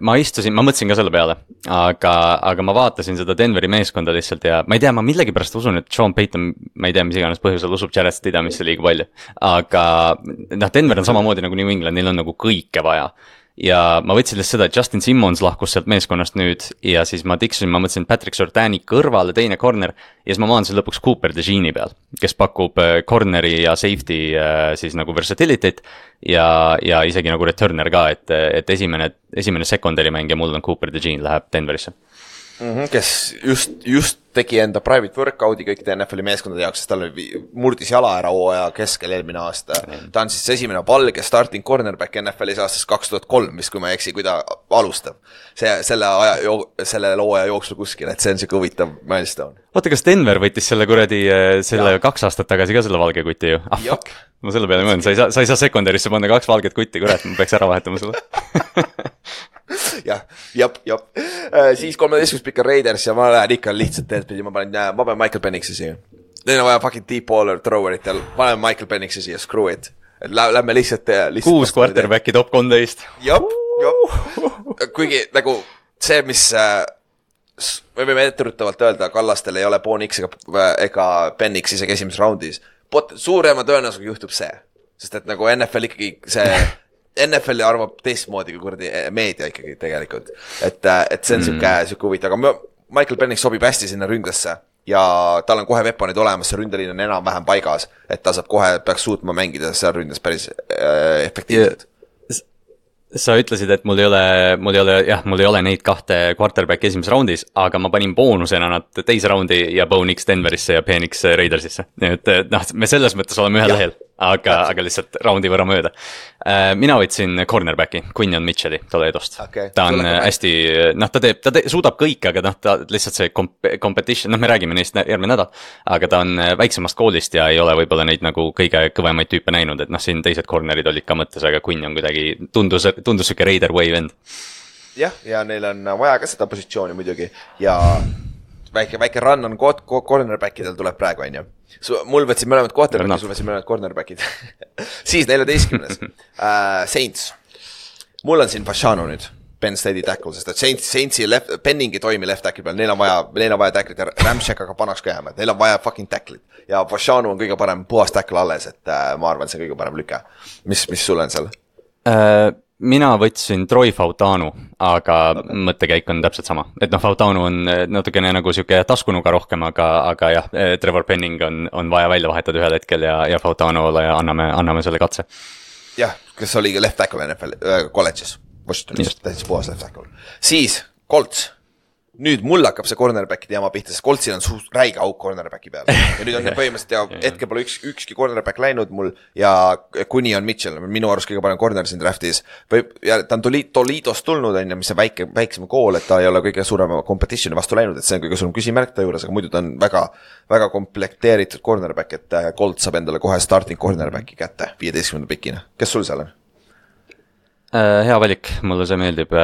Ma istusin, ma mõtlesin ka selle peale, aga, aga ma vaatasin seda Denveri meeskonda lihtsalt ja ma ei tea, ma millegi pärast usun, et Sean Payton, ma ei tea, mis iganes põhjusel usub Jared Stidhamisse liiga palju. Aga noh, Denver on samamoodi nagu New England, neil on nagu kõike vaja. Ja ma võtsin lihtsalt seda, et Justin Simmons lahkus sealt meeskonnast nüüd ja siis ma tiksusin, ma mõtlesin Patrick Surtani kõrvale teine corner ja siis ma maandasin lõpuks Cooper DeJeani peal, kes pakub corneri ja safety siis nagu versatility't ja, ja isegi nagu returner ka, et, et esimene, esimene secondary mängija mul on Cooper DeJean läheb Denverisse. Mm-hmm, kes just, just tegi enda private workout'i kõikide N F L-i meeskondade jaoks, sest tal murdis jala ära hooaja keskel eelmine aasta. Ta on siis esimene valge starting cornerback N F L-is aastast kaks tuhat kolm, mis kui ma eksi, kui ta alustab. See, selle, aja, selle looja jooksul kuskil, et see on see huvitav milestone. Oota, kas Denver võttis selle kuradi selle ja. kaks aastat tagasi ka selle valge kuti ju? Ah, fuck. Ma selle peale mõelnud, sa ei saa, sa ei saa sekundarisse panna kaks valget kuti, kurat, ma peaks ära vahetama sulle. jah, jap, jap. Äh, siis kolmeteistkümnes pikka Raiders ja ma lähen ikka lihtsalt teed pidi, ma panen, ma panen Michael Penixi siia. Neil on vaja fucking deep baller throwerit ja panen Michael Penixi siia, screw it. Et lä- lähme lihtsalt, lihtsalt kuus quarterbacki top kolmteist. Jap, jap. Kuigi nagu see, mis äh, me võime etterutavalt öelda, Kallastel ei ole Bo Nix ega, ega Penix isegi esimeses raundis. Pot, suurema tõenäosusega juhtub see. Sest et nagu N F L ikkagi see N F L arvab teistmoodi kui kurdi meedia ikkagi tegelikult. Et, et see on mm. siuke, siuke huvitav. Aga Michael Penix sobib hästi sinna ründasse ja tal on kohe veponid olemas, see ründeliin on enam vähem paigas, et ta saab kohe, peaks suutma mängida seal ründas päris äh, efektiivselt. Sa ütlesid, et mul ei ole, mul ei ole, jah, mul ei ole neid kahte quarterback esimeses raundis, aga ma panin boonusena nad teise raundi ja Bo Nix Denverisse ja Penix Raidersisse. Et noh, me selles mõttes oleme ühel lehel, aga, aga lihtsalt raundi võrra mööda. Mina võtsin cornerbacki, Quinion Mitchelli Toledost. Okay. Ta on hästi, noh, ta teeb, ta te, suudab kõik, aga noh, ta lihtsalt see comp- competition, noh, me räägime neist järgmine nädal, aga ta on väiksemast koolist ja ei ole võib-olla neid nagu kõige kõvemaid tüüpe näinud, et noh, siin teised cornerid olid ka mõttes, aga Quinion kuidagi tundus, tundus süke Raider wave end. jah, ja neil on vaja ka seda positsiooni muidugi ja väike, väike run on cornerbackidel tuleb praegu, on ju. Mul võtsin mõlemad quarterbackid, sul võtsin mõlemad cornerbackid. Siis neljateistkümnes uh, Saints. Mul on siin Fashanu nüüd, Penn State'i tackle, sest et Saints, Saintsi left, Penningi toimi left tackle peal, neil on vaja, neil on vaja tackle'it ja Ramshack aga panaks ka jääma, et neil on vaja fucking tackle'it. Ja Fashanu on kõige parem puhas tackle alles, et uh, ma arvan, see on kõige parem lüke. Mis, mis sul on seal? Uh... Mina võtsin Troy Fautanu, aga okay. Mõttekäik on täpselt sama. Et noh, Fautanu on natukene nagu siuke taskunuga rohkem, aga, aga jah, Trevor Penning on, on vaja välja vahetada ühel hetkel ja, ja Fautanule ja anname, anname selle katse. Jah, kes oli left tackle N F L äh, college'is. Washingtonis, täitsa puhas left tackle. Siis, Colts. Nüüd mul hakkab see cornerback'i teema pihta, sest Coltsil on suht räige auk cornerback'i peal. Ja nüüd on põhimõtteliselt ja hetke pole üks, ükski cornerback läinud mul ja kuni on Mitchell, minu arust kõige parem corner siin draftis. Ja ta on Toledost tulnud, on, mis on väike, väiksem kool, et ta ei ole kõige suurema competitioni vastu läinud, et see on kõige suurem küsimärk ta juures, aga muidu ta on väga, väga komplekteeritud cornerback, et Colt saab endale kohe starting cornerback'i kätte viieteistkümnenda pikina. Kes sul seal on? Hea valik, mulle see meeldib.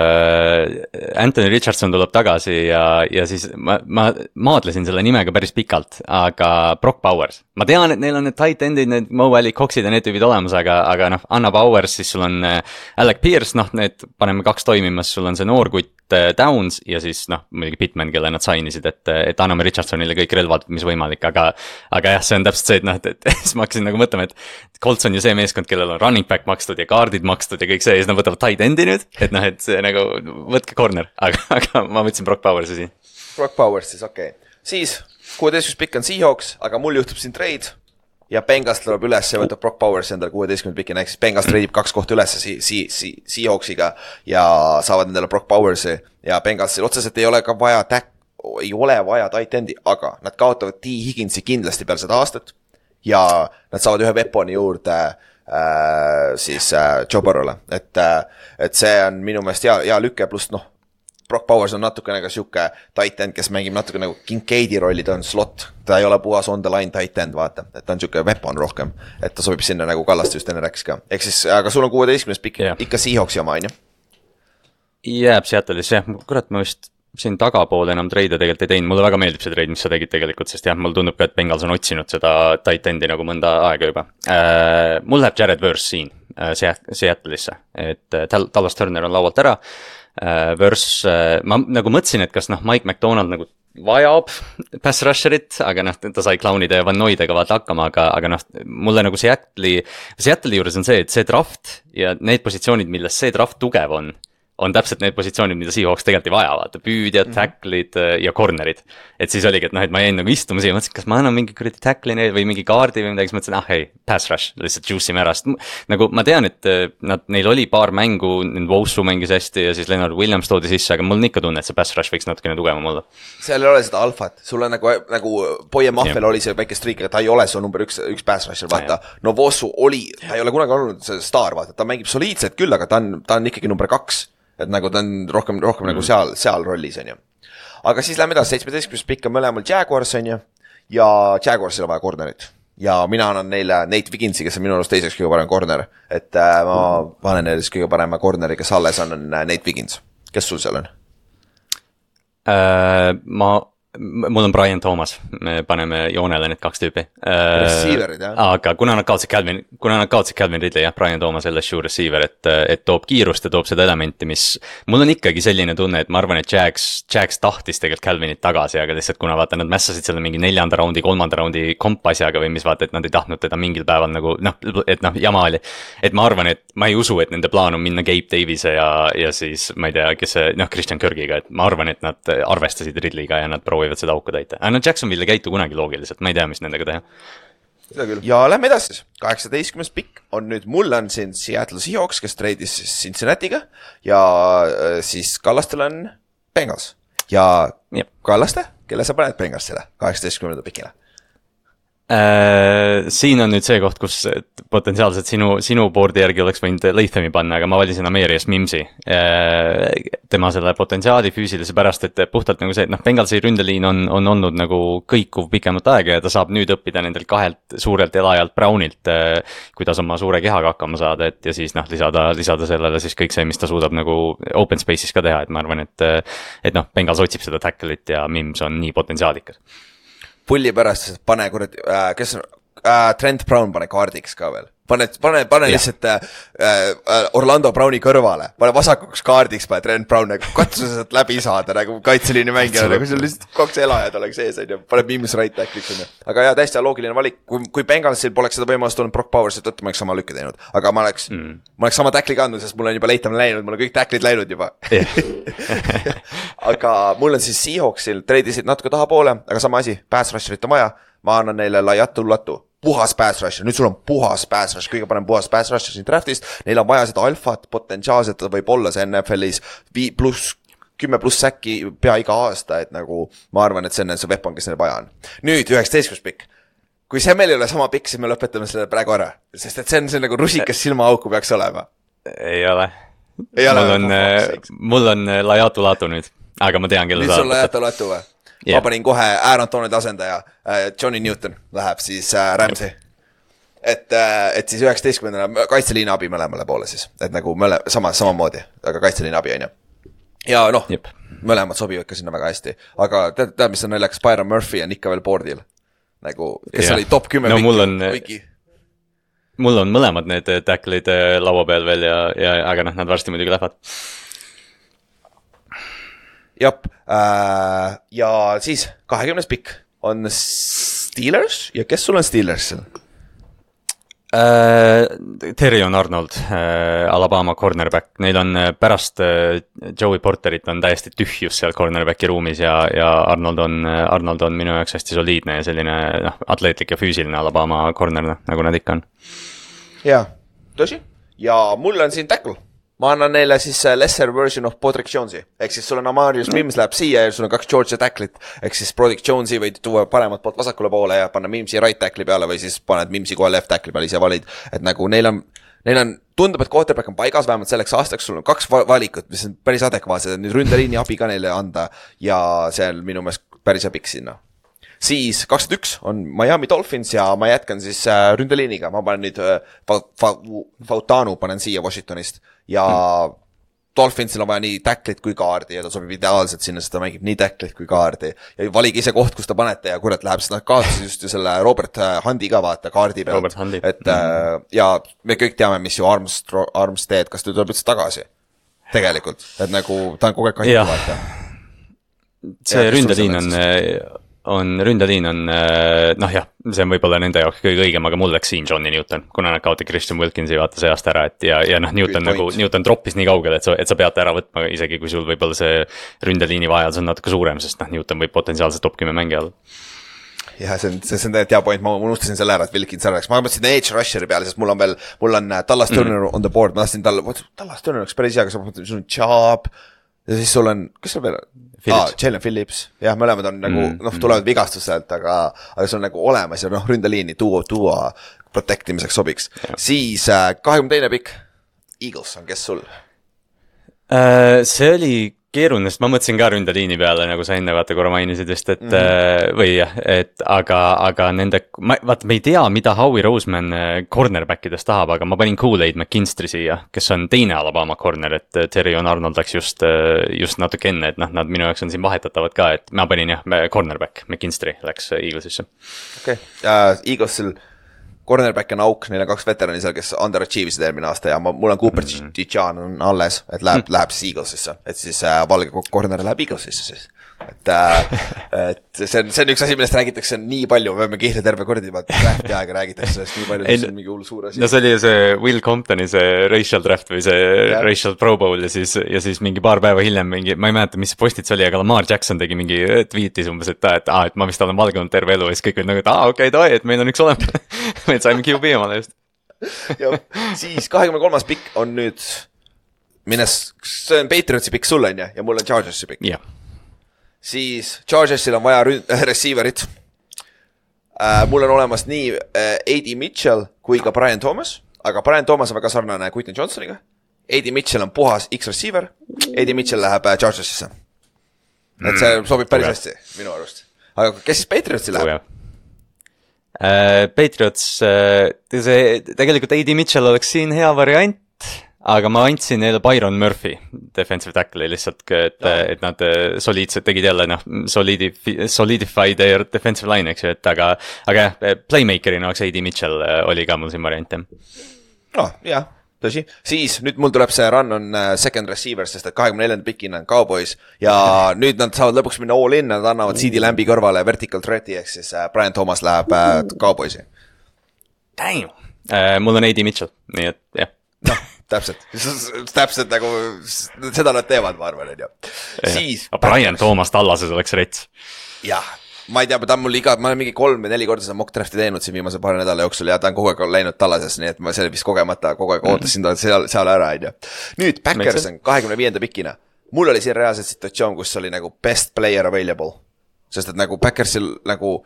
Anthony Richardson tuleb tagasi ja, ja siis ma, ma maadlesin selle nimega päris pikalt, aga Brock Bowers. Ma tean, et neil on need tight endid, need Mo Alley Coxid ja need tüübid olemas, aga, aga noh, Anna Bowers, siis sul on Alec Pierce, noh, need paneme kaks toimimas, sul on see noorkutt Downs ja siis noh, muidugi Pittman, kelle nad sainisid, et, et anname Richardsonile kõik relvad, mis võimalik, aga, aga jah, see on täpselt see, et noh, et, et siis ma hakkasin nagu mõtlema, et Colts on ju see meeskond, kellel on running back makstud ja kaardid makstud ja kõik see, ja siis nad võtavad tight endi nüüd, et noh, et see nagu, võtke corner, aga, aga ma võtsin Brock Powersi siin. Brock Powers siis, okei okay.. Siis kuueteistkümnes pikk on Seahawks, aga mul juhtub siin trade ja Bengals tuleb üles ja võtab Brock Powers endale kuueteistkümnes pikk, ehk siis Bengals treidib kaks kohta üles si- si- si- Seahawksiga ja saavad endale Brock Powersi ja Bengalsil otseselt ei ole ka vaja täk, ei ole vaja tight endi, aga nad kaotavad T. Higginsi kindlasti peale seda aastat ja nad saavad ühe weaponi juurde äh, siis äh, Joe Burrow'le, et, äh, et see on minu meelest hea, hea lüke, pluss noh, Brock Bowers on natuke nagu siuke tight end, kes mängib natuke nagu Kincaidi rolli, ta on slot, ta ei ole puhas on the line tight end, vaata, et ta on siuke weapon rohkem, et ta sobib sinna nagu Kallaste just enne rääkis ka, ehk siis, aga sul on kuueteistkümnes pikk yeah. ikka Seahawksi oma, on ju? Jääb Seattle'is, jah, kurat, ma vist siin tagapoole enam treide tegelikult ei teinud, mulle väga meeldib see treid, mis sa tegid tegelikult, sest jah, mulle tundub ka, et Bengals on otsinud seda tight endi nagu mõnda aega juba äh,. Mul läheb Jared Verse siin äh, Seattle'isse, et äh, Dallas Turner on laualt ära äh,. Verse äh,, ma nagu mõtlesin, et kas noh, Mike McDonald nagu vajab pass rusherit, aga noh, ta sai Clownide ja Van Noidega vaata hakkama, aga, aga noh, mulle nagu Seattle'i, Seattle'i juures on see, et see draft ja need positsioonid, milles see draft tugev on, on täpselt need positsioonid, mida Seahawks tegelikult ei vaja, vaata, püüdjad, tacklid ja cornerid. Et siis oligi, et noh, et ma jäin nagu istuma siia, mõtlesin, kas ma annan mingi kuradi tackline või mingi kaardi või midagi, siis mõtlesin, ah hei, pass rush, lihtsalt juice ime ära, sest nagu ma tean, et nad, neil oli paar mängu, Wosu mängis hästi ja siis Leonard Williams toodi sisse, aga mul on ikka tunne, et see pass rush võiks natukene tugevam olla. Seal ei ole seda alfat, sul on nagu, nagu Boye Maffel oli see väike streak, ta ei ole su number üks, üks pass rusher, vaata, no Wosu oli, ta ei ole kunagi olnud see staar, vaata, ta mängib soliidselt küll, aga ta on, ta on ikkagi number kaks. Et nagu ta on rohkem, rohkem mm. nagu seal, seal rollis, on ju. Aga siis lähme edasi, seitsmeteistkümnes pikk on mõlemal Jaguars, on ju, ja Jaguarsil on vaja cornerit. Ja mina annan neile Nate Wigginsi, kes on minu arust teiseks kõige parem corner. Et äh, ma panen neile kõige parema corneri, kes alles on, on Nate Wiggins. Kes sul seal on? Äh, ma... Mul on Brian Thomas, me paneme joonele need kaks tüüpi. Receiverid, jah? Aga kuna nad kaotsid Calvin, kuna nad kaotsid Calvin Ridley, jah, Brian Thomas L S U receiver, et, et toob kiirust ja toob seda elementi, mis mul on ikkagi selline tunne, et ma arvan, et Jags, Jags tahtis tegelikult Calvinit tagasi, aga lihtsalt kuna vaata, nad mässasid selle mingi neljanda raundi, kolmanda raundi kompasjaga või mis vaata, et nad ei tahtnud teda mingil päeval nagu, noh, et noh, jama oli. Et ma arvan, et ma ei usu, et nende plaan on minna Gabe Davise ja, ja siis, ma ei tea, kes see, noh, Christian Kirkiga, et ma arvan, et nad arvestasid Ridleyga ja nad proovivad seda auku täita. Aga no Jacksonville ei käitu kunagi loogiliselt, ma ei tea, mis nendega teha. Seda küll. Ja lähme edasi. kaheksateistkümnes pikk on nüüd, mul on siin Seattle Seahawks, kes treidis Cincinnatiga ja siis Kallastel on Bengals. Ja Jep. Kallaste, kelle sa paned Bengalsile kaheksateistkümnenda pikina? Äh, siin on nüüd see koht, kus potentsiaalselt sinu, sinu boardi järgi oleks võinud Lathami panna, aga ma valisin Amerias Mimsi. Äh, tema selle potentsiaali füüsilise pärast, et puhtalt nagu see, et noh, Bengalsi ründeliin on, on olnud nagu kõikuv pikemat aega ja ta saab nüüd õppida nendelt kahelt suurelt elajalt Brownilt, äh, kuidas oma suure kehaga hakkama saada, et ja siis noh, lisada, lisada sellele siis kõik see, mis ta suudab nagu open space'is ka teha, et ma arvan, et, et noh, Bengals otsib seda tackle'it ja Mims on nii potentsiaalikas. Pulli pärast, pane kurat, äh, kes on, äh, Trent Brown pane kaardiks ka veel. Pane, pane, pane ja. lihtsalt äh, äh, Orlando Browni kõrvale, pane vasakuks kaardiks, pane Trent Brown, nagu katsu sealt läbi saada, nagu kaitseliini mängida, nagu seal lihtsalt kaks elajad oleks ees, on ju, pane Mims right back'iks, on ju. Aga jah, täiesti loogiline valik, kui, kui Bengalsil poleks seda võimalust olnud Brock Powersit, et ma oleks sama lükke teinud, aga ma oleks, mm. ma oleks sama tackli kandnud, sest mul on juba Latham läinud, mul on kõik tacklid läinud juba. Aga mul on siis Seahawksil, treidisid natuke taha poole, aga sama asi, pass rusherit on vaja, ma annan neile laiatu latu. Puhas pass rusher, nüüd sul on puhas pass rusher, kõige parem puhas pass rusher siin draftist, neil on vaja seda alfat, potentsiaalselt ta võib olla see N F L-is pluss, kümme pluss säkki pea iga aasta, et nagu ma arvan, et see on see weapon, kes neil vaja on. Nüüd üheksateistkümnes pikk. Kui see meil ei ole sama pikk, siis me lõpetame selle praegu ära, sest et see on see nagu rusikas silmaauku peaks olema. Ei ole. Ei ole. Mul on, mul on laiatu latu nüüd, aga ma tean, kelle nüüd sul laiatu latu või? Yeah. Ma panin kohe Aaron Donald asendaja, Johnny Newton läheb siis Ramsey. Et, et siis üheksateistkümnendana kaitseliina abi mõlemale poole siis. Et nagu mõle, sama, sama moodi, aga kaitseliina abi on ju. Ja noh, yep. mõlemad sobivad ka sinna väga hästi. Aga tead, tead mis on naljakas, Byron Murphy on ikka veel boardil. Nagu, kes yeah. oli top kümme no, viki, mul on, viki. Mul on mõlemad need tacklid laua peal veel ja, ja aga noh, nad varsti muidugi lähevad. Jop, äh, ja siis kahekümnes pikk on Steelers ja kes sul on Steelers? Äh, Terrion Arnold, äh, Alabama cornerback, neil on pärast äh, Joey Porterit on täiesti tühjus seal cornerbacki ruumis ja, ja Arnold on, Arnold on minu jaoks hästi soliidne ja selline noh, atleetlik ja füüsiline Alabama corner, nagu nad ikka on. Jaa, tõsi, ja mul on siin tackle. Ma annan neile siis lesser version of Podrick Jonesi. Ehk siis sul on Amarius Mims läheb siia ja sul on kaks Georgia tacklit. Ehk siis Podrick Jonesi võid tuua paremat poolt vasakule poole ja panna Mimsi right tackli peale või siis paned Mimsi kohe left tackli peale ise valid. Et nagu neil on, neil on, tundub, et quarterback on paigas, vähemalt selleks aastaks sul on kaks valikut, mis on päris adekvaatsed, nüüd ründeliini abi ka neile anda ja see on minu meelest päris hea pikk sinna. Siis kakskümmend üks on Miami Dolphins ja ma jätkan siis ründeliiniga, ma panen nüüd Fautanu panen siia Washingtonist ja hmm. Dolphinsil on vaja nii tacklit kui kaardi ja ta sobib ideaalselt sinna, sest ta mängib nii tacklit kui kaardi ja valige ise koht, kus ta panete ja kurat läheb, sest nad kaotasid just ju selle Robert Hundi ka vaata kaardi pealt, et mm. ja me kõik teame, mis ju Arms, Arms teed, kas ta tuleb üldse tagasi tegelikult, et nagu ta on kogu aeg kahjuks vaata. See ründeliin on on, ründeliin on, noh jah, see on võib-olla nende jaoks kõige õigem, aga mul läks siin Johnny Newton, kuna nad kaotati Christian Wilkinsi vaata see aasta ära, et ja, ja noh, Newton nagu, Newton droppis nii kaugele, et sa, et sa pead ära võtma, isegi kui sul võib-olla see ründeliini vajadus on natuke suurem, sest noh, Newton võib potentsiaalselt top kümme mängi olla. jah, see on, see on tegelikult hea point, ma unustasin selle ära, et Wilkins ära läks, ma mõtlesin edge rusheri peale, sest mul on veel, mul on Dallas Turner mm. on the board, ma tahtsin talle, Dallas Turner oleks päris hea, aga sa mõtlesin, sul on Chubb ja siis sul on, kes sul veel on? Ah, Jalen Phillips, jah, mõlemad on nagu, mm, noh, tulevad vigastuselt, aga, aga see on nagu olemas ja noh, ründeliini tuua, tuua protectimiseks sobiks. Ja. Siis kahekümne teine pikk, Eagles on, kes sul? See oli keeruline, sest ma mõtlesin ka ründeliini peale, nagu sa enne vaata korra mainisid just, et mm. või jah, et aga, aga nende, ma, vaata, me ei tea, mida Howie Roseman cornerbackides tahab, aga ma panin Kool-Aid McKinstry siia, kes on teine Alabama corner, et Terrion Arnold läks just, just natuke enne, et noh, nad minu jaoks on siin vahetatavad ka, et ma panin jah, cornerback, McKinstry läks Eaglesisse. Okei, okay. uh, Eaglesil cornerback on auk, neil on kaks veterani seal, kes underachieve'isid eelmine aasta ja ma, mul on Cooper mm-hmm. Tijan on alles, et läheb, mm-hmm. läheb siis Eaglesisse, et siis äh, valge corner läheb Eaglesisse siis. Et, äh, et see on, see on üks asi, millest räägitakse nii palju, me võime kihla terve kordi juba drafti aega räägitakse sellest nii palju, see on mingi hull suur asi. No see oli see Will Comptoni see racial draft või see yeah. racial pro bowl ja siis, ja siis mingi paar päeva hiljem mingi, ma ei mäleta, mis postit see oli, aga Lamar Jackson tegi mingi tweetis umbes, et, et, ah, et ma vist olen valge olnud terve elu ja siis kõik olid nagu, et aa, okei, okay, toi, et meil on üks olema meil saime Q B omale just. ja siis kahekümne kolmas pikk on nüüd minnes, see on Patriotsi pikk sulle on ja, ja mul on Chargersi pikk. jah. Siis Chargersil on vaja ründ- äh, receiverit. Äh, mul on olemas nii äh, A D Mitchell kui ka Brian Thomas, aga Brian Thomas on väga sarnane Quentin Johnsoniga. A D Mitchell on puhas X-receiver, A D Mitchell läheb äh, Chargersisse. Et see sobib päris hästi minu arust. Aga kes siis Patriotsi läheb? Uh, Patriots, uh, see, tegelikult A D Mitchell oleks siin hea variant, aga ma andsin neile Byron Murphy, defensive tackle'i lihtsalt, et, no. et nad soliidselt tegid jälle, noh, solidify, solidify their defensive line, eks ju, et aga, aga jah, playmakerina oleks A D Mitchell oli ka mul siin variant, jah. No, jah, tõsi. Siis nüüd mul tuleb see run on second receiver, sest et kahekümne neljanda pikina on Cowboys ja nüüd nad saavad lõpuks minna all in, nad annavad C D Lambi kõrvale vertical threat'i, ehk siis Brian Thomas läheb Cowboysi. Damn! Uh, mul on A D Mitchell, nii et jah. noh, täpselt, täpselt nagu seda nad teevad, ma arvan, on ju. Siis Brian Thomas Tallases oleks rets. jah, ma ei tea, ta on mul iga, ma olen mingi kolm või neli korda seda mock drafti teinud siin viimase paari nädala jooksul ja ta on kogu aeg läinud Tallases, nii et ma selle vist kogemata kogu aeg ootasin ta seal, seal ära, on ju. Nüüd Packers on kahekümne viienda pikina. Mul oli siin reaalselt situatsioon, kus oli nagu best player available, sest et nagu Packersil nagu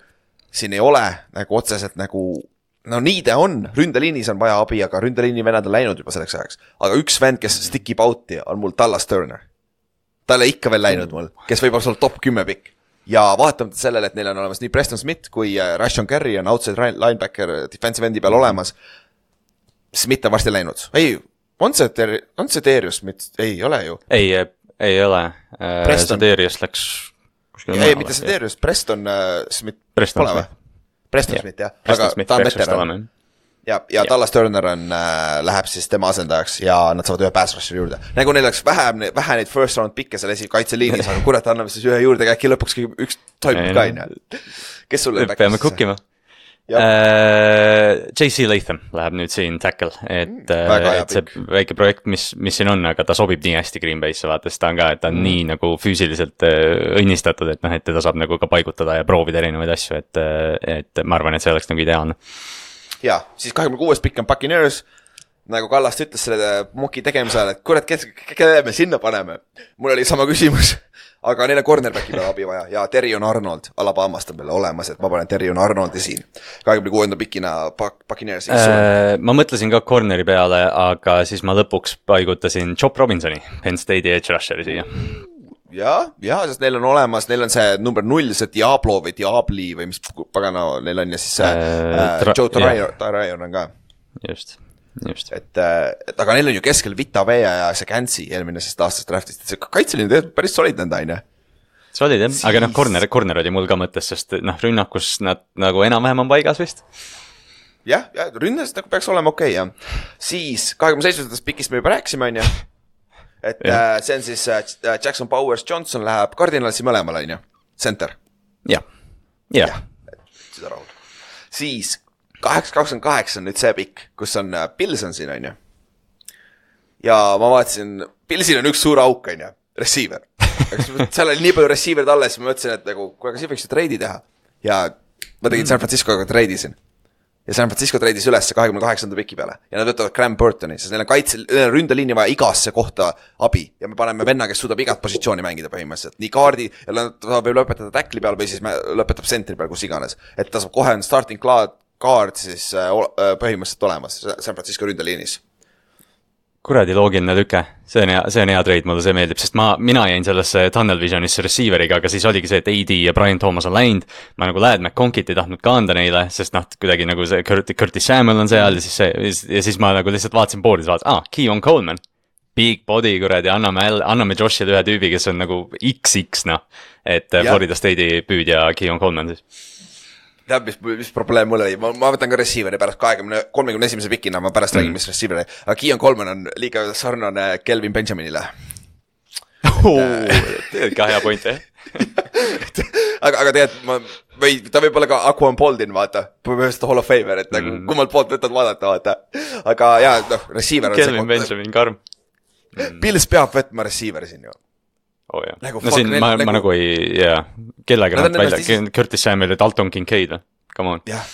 siin ei ole nagu otseselt nagu no nii ta on, ründeliinis on vaja abi, aga ründeliini vennad on läinud juba selleks ajaks. Aga üks vend, kes stickib out'i, on mul Dallas Turner. Ta ei ole ikka veel läinud mul, kes võib olla top kümme pikk. Ja vaatamata sellele, et neil on olemas nii Preston Smith kui Rashon Gary on outside linebacker defensive endi peal olemas. Smith on varsti läinud. Ei, on see, ter- on see Darius Smith? Ei, ole ju. Ei, ei ole. See Darius läks... Ei, mitte see Darius, Preston Smith Preston pole või? Preston Smith, jah. Preston Smith, ta on veteran. Ja, ja Dallas Turner on, äh, läheb siis tema asendajaks ja nad saavad ühe pass rusher juurde. Nagu neil oleks vähe, vähe neid first round pikke seal esi kaitseliinis, aga kurat, anname siis ühe juurde, äkki lõpuks üks toimub ka, no. Kes sulle on peame kukkima? Uh, J C Latham läheb nüüd siin tackle, et, mm, et see pikk. Väike projekt, mis, mis siin on, aga ta sobib nii hästi Green Bay'sse, vaata, ta on ka, et ta on mm. nii nagu füüsiliselt õnnistatud, et noh, et teda saab nagu ka paigutada ja proovida erinevaid asju, et, et ma arvan, et see oleks nagu ideaalne. Ja, siis kahekümne kuues pikk on Buccaneers, nagu Kallast ütles selle moki tegemise ajal, et kurat, kelle me sinna paneme. Mul oli sama küsimus, aga neil on cornerbacki peale abi vaja ja Terrion Arnold Alabamast on peale olemas, et ma panen Terrion Arnoldi siin kahekümne kuuenda pikina Buccaneers äh, ma mõtlesin ka corneri peale, aga siis ma lõpuks paigutasin Chop Robinsoni Penn State'i edge rusheri siia. ja, ja, sest neil on olemas, neil on see number null, see Diablo või Diabli või mis pagana neil on ja siis see äh, äh, Joe Tarayon on ka. Just, just. Et, et aga neil on ju keskel Vita Vea ja see Kansi eelmisest aastast draftist, et see kaitseline tegelikult päris solid nõnda, on ju. Solid jah, aga noh, corner, corner oli mul ka mõttes, sest noh, rünnakus nad nagu enam-vähem on paigas vist. jah, ja rünnas nagu peaks olema okei okay, jah. Siis kahekümne seitsmendast pikist me juba rääkisime, on ju. Et äh, see on siis äh, Jackson Powers Johnson läheb Cardinalsi mõlemale, on ju, center. jah, jah. Seda rahul. Siis kaheksa kakskümmend kaheksa on nüüd see pikk, kus on äh, Pilson siin, on ju. Ja ma vaatasin, Pilsil on üks suur auk, on ju, receiver. Seal oli nii palju receiverid alles, ma mõtlesin, et nagu, kui aga siin võiks ju treidi teha. Ja ma tegin San Franciscoga treidisin. Ja San Francisco treidis üles kahekümne kaheksanda piki peale. Ja nad võtavad Graham Burtoni, sest neil on kaitse, neil on ründeliini vaja igasse kohta abi. Ja me paneme venna, kes suudab igat positsiooni mängida põhimõtteliselt. Nii kaardi, ja ta võib lõpetada tackli peal või siis lõpetab sentri peal, kus iganes. Et ta saab kohe on starting kaard siis põhimõtteliselt olemas San Francisco ründeliinis. Kuradi loogiline tüke, see on hea, see on hea trade, mulle see meeldib, sest ma, mina jäin sellesse Tunnel Visionisse receiveriga, aga siis oligi see, et A D ja Brian Thomas on läinud, ma nagu Ladd McConkit ei tahtnud ka anda neile, sest noh, kuidagi nagu see Curtis Samuel on seal ja siis see, ja siis ma nagu lihtsalt vaatasin boardis, vaatasin, ah, Keon Coleman, big body, kuradi, anname, anname Joshile ühe tüübi, kes on nagu X X, noh, et ja. Florida State'i püüdja Keon Coleman siis. Tead, mis, mis probleem mul oli, ma, ma võtan ka receiveri pärast kahekümne, kolmekümne esimese pikina, ma pärast mm. räägin, mis receiveri, aga Keon Coleman on liiga sarnane Kelvin Benjaminile. Teed ka hea point, eh? aga, aga tead, ma, või ta võib olla ka Aquan Boldin, vaata, põhimõtteliselt Hall of Famer, et nagu mm. kummalt poolt võtad vaadata, vaata. Aga jaa, noh, receiver on Kelvin see Benjamin, karm. Mm. Pils peab võtma receiveri siin ju. Oh, jah. Nagu, no siin ma, nagu... ma nagu ei, jaa, kellega nad välja, isi... Curtis Samuel ja Dalton Kincaid, come on. Jah,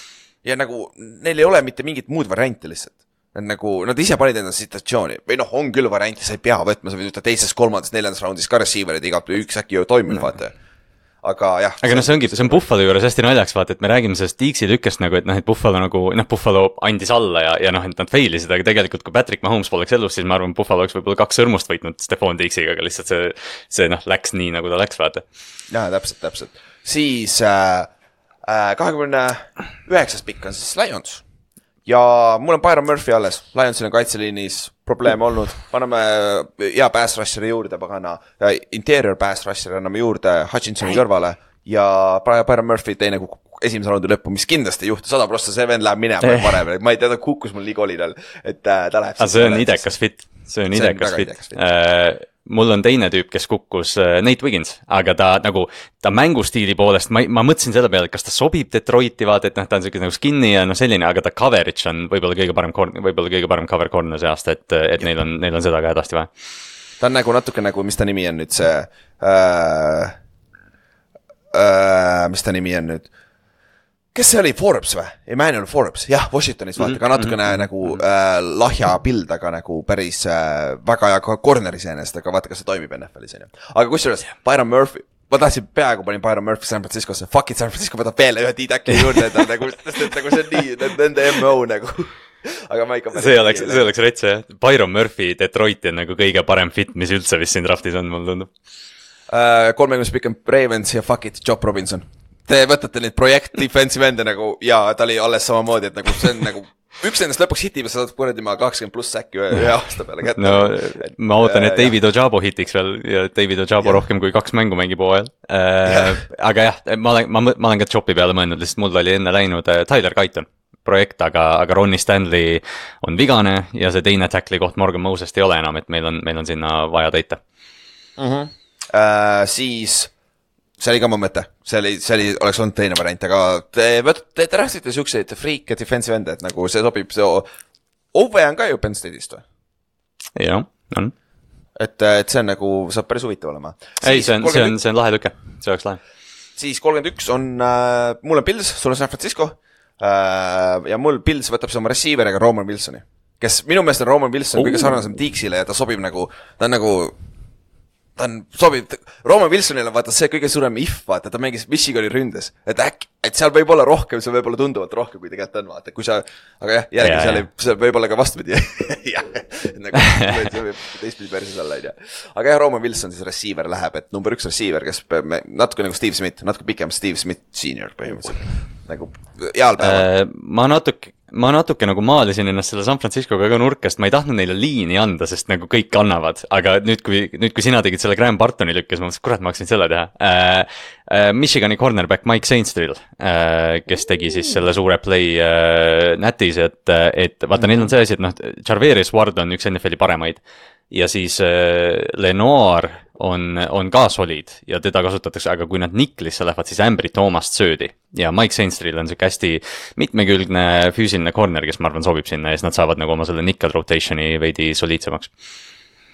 ja nagu neil ei ole mitte mingit muud varianti lihtsalt. Nad nagu, nad ise panid enda situatsiooni, või noh, on küll varianti, sa ei pea võtma, sa võid võtta teises, kolmandas, neljandas raundis ka receiverid, igat üks äkki ju toimib, no. Vaata. Aga jah. Aga noh, see ongi, see on Buffalo juures hästi naljaks, vaata, et me räägime sellest Deaksi tükkest nagu, et noh, et Buffalo nagu, noh, Buffalo andis alla ja, ja noh, et nad failisid, aga tegelikult kui Patrick Mahomes poleks elus, siis ma arvan, Buffalo oleks võib-olla kaks sõrmust võitnud Stephon Deaksiga, aga lihtsalt see, see noh, läks nii, nagu ta läks, vaata. Jaa, täpselt, täpselt. Siis äh, kahekümne üheksas pikk on siis Lions. Ja mul on Byron Murphy alles, Lionsil on kaitseliinis probleeme olnud, paneme hea pass rusheri juurde, pagana interior pass rusheri anname juurde Hutchinsoni kõrvale ja Byron Murphy teine esimese raundi lõppu, mis kindlasti ei juhtu, sada prossa see vend läheb minema varem, ma ei tea, ta kukkus mul nii kolidel, et ta läheb ah, see on idekas fit, see on idekas fit, fit. Äh, mul on teine tüüp, kes kukkus äh, Nate Wiggins, aga ta nagu, ta mängustiili poolest, ma, ma mõtlesin selle peale, et kas ta sobib Detroiti, vaata, et noh, ta on selline nagu skinny ja noh selline, aga ta coverage on võib-olla kõige parem, võib-olla kõige parem cover corner see aasta, et, et neil on, neil on seda ka hädasti vaja. Ta on nagu natuke nagu, mis ta nimi on nüüd see, äh, äh, mis ta nimi on nüüd, kes see oli, Forbes või? Emmanuel Forbes, jah, Washingtonis vaata, ka natukene mm-hmm. nagu äh, lahja pild, aga nagu päris äh, väga hea corneri seenest, aga vaata, kas see toimib N F L-is, on ju. Aga kusjuures, Byron Murphy, ma tahtsin peaaegu panin Byron Murphy San Franciscosse, fuck it, San Francisco võtab veel ühe D-Tackli juurde, et nagu, et nagu see on nii, nende M O nagu, aga ma ikka... See oleks, see oleks retse, jah. Byron Murphy Detroiti on nagu kõige parem fit, mis üldse vist siin draftis on, mul tundub. Uh, kolmekümnes pikk on Ravens ja fuck it, Job Robinson. Te võtate neid projekt defensive ende nagu, ja ta oli alles samamoodi, et nagu see on nagu, üks nendest lõpuks hitib ja sa saad kuradi ma kakskümmend pluss säkki ühe, ühe aasta peale kätte. No et, ma ootan, et David Ojabo hitiks veel ja David Ojabo ja. Rohkem kui kaks mängu mängib hooajal. Äh, aga jah, ma olen, ma, ma olen ka Chopi peale mõelnud, lihtsalt mul oli enne läinud Tyler Guyton projekt, aga, aga Ronnie Stanley on vigane ja see teine tackli koht Morgan Mosest ei ole enam, et meil on, meil on sinna vaja täita. Uh-huh. Uh, siis... see oli ka mu mõte, see oli, see oli, oleks olnud teine variant, aga te, te, te rääksite siukseid freak defensive ende, et nagu see sobib, see Ove on ka ju Penn State'ist või? Jah, on. Et, et see on nagu, saab päris huvitav olema. Ei, see on, see on, see on lahe tüke, see oleks lahe. Siis kolmkümmend üks on, äh, mul on Bills, sul on San Francisco äh, ja mul Bills võtab see oma receiver'iga Roman Wilsoni. kes minu meelest on Roman Wilson oh. kõige sarnasem Deaksile ja ta sobib nagu, ta on nagu ta on sobib, Roman Wilsonile vaata see kõige suurem if, vaata, ta mängis Michigani ründes, et äkki, et seal võib olla rohkem, see võib olla tunduvalt rohkem, kui tegelikult on, vaata, kui sa, aga jah, jällegi yeah, seal ei, see võib olla ka vastupidi, jah, nagu see võib teistpidi persis olla, ei tea. Aga jah, Roman Wilson siis receiver läheb, et number üks receiver, kes natuke nagu Steve Smith, natuke pikem Steve Smith senior põhimõtteliselt, nagu heal päeval. Äh, ma natuke ma natuke nagu maalisin ennast selle San Franciscoga ka nurkast, ma ei tahtnud neile liini anda, sest nagu kõik annavad, aga nüüd kui, nüüd kui sina tegid selle Graham Bartoni lükkes, ma mõtlesin, kurat, ma hakkasin selle teha. Äh, äh, Michigani cornerback Mike Saintsville, äh, kes tegi siis selle suure play äh, nätis, et, et vaata, neil on see asi, et noh, Jarverius Ward on üks N F L-i paremaid ja siis äh, Lenoir on, on ka solid ja teda kasutatakse, aga kui nad niklisse lähevad, siis Ambry Thoomast söödi. Ja Mike Saintsville on see hästi mitmekülgne füüsiline corner, kes ma arvan sobib sinna ja siis nad saavad nagu oma selle nickel rotationi veidi soliidsemaks.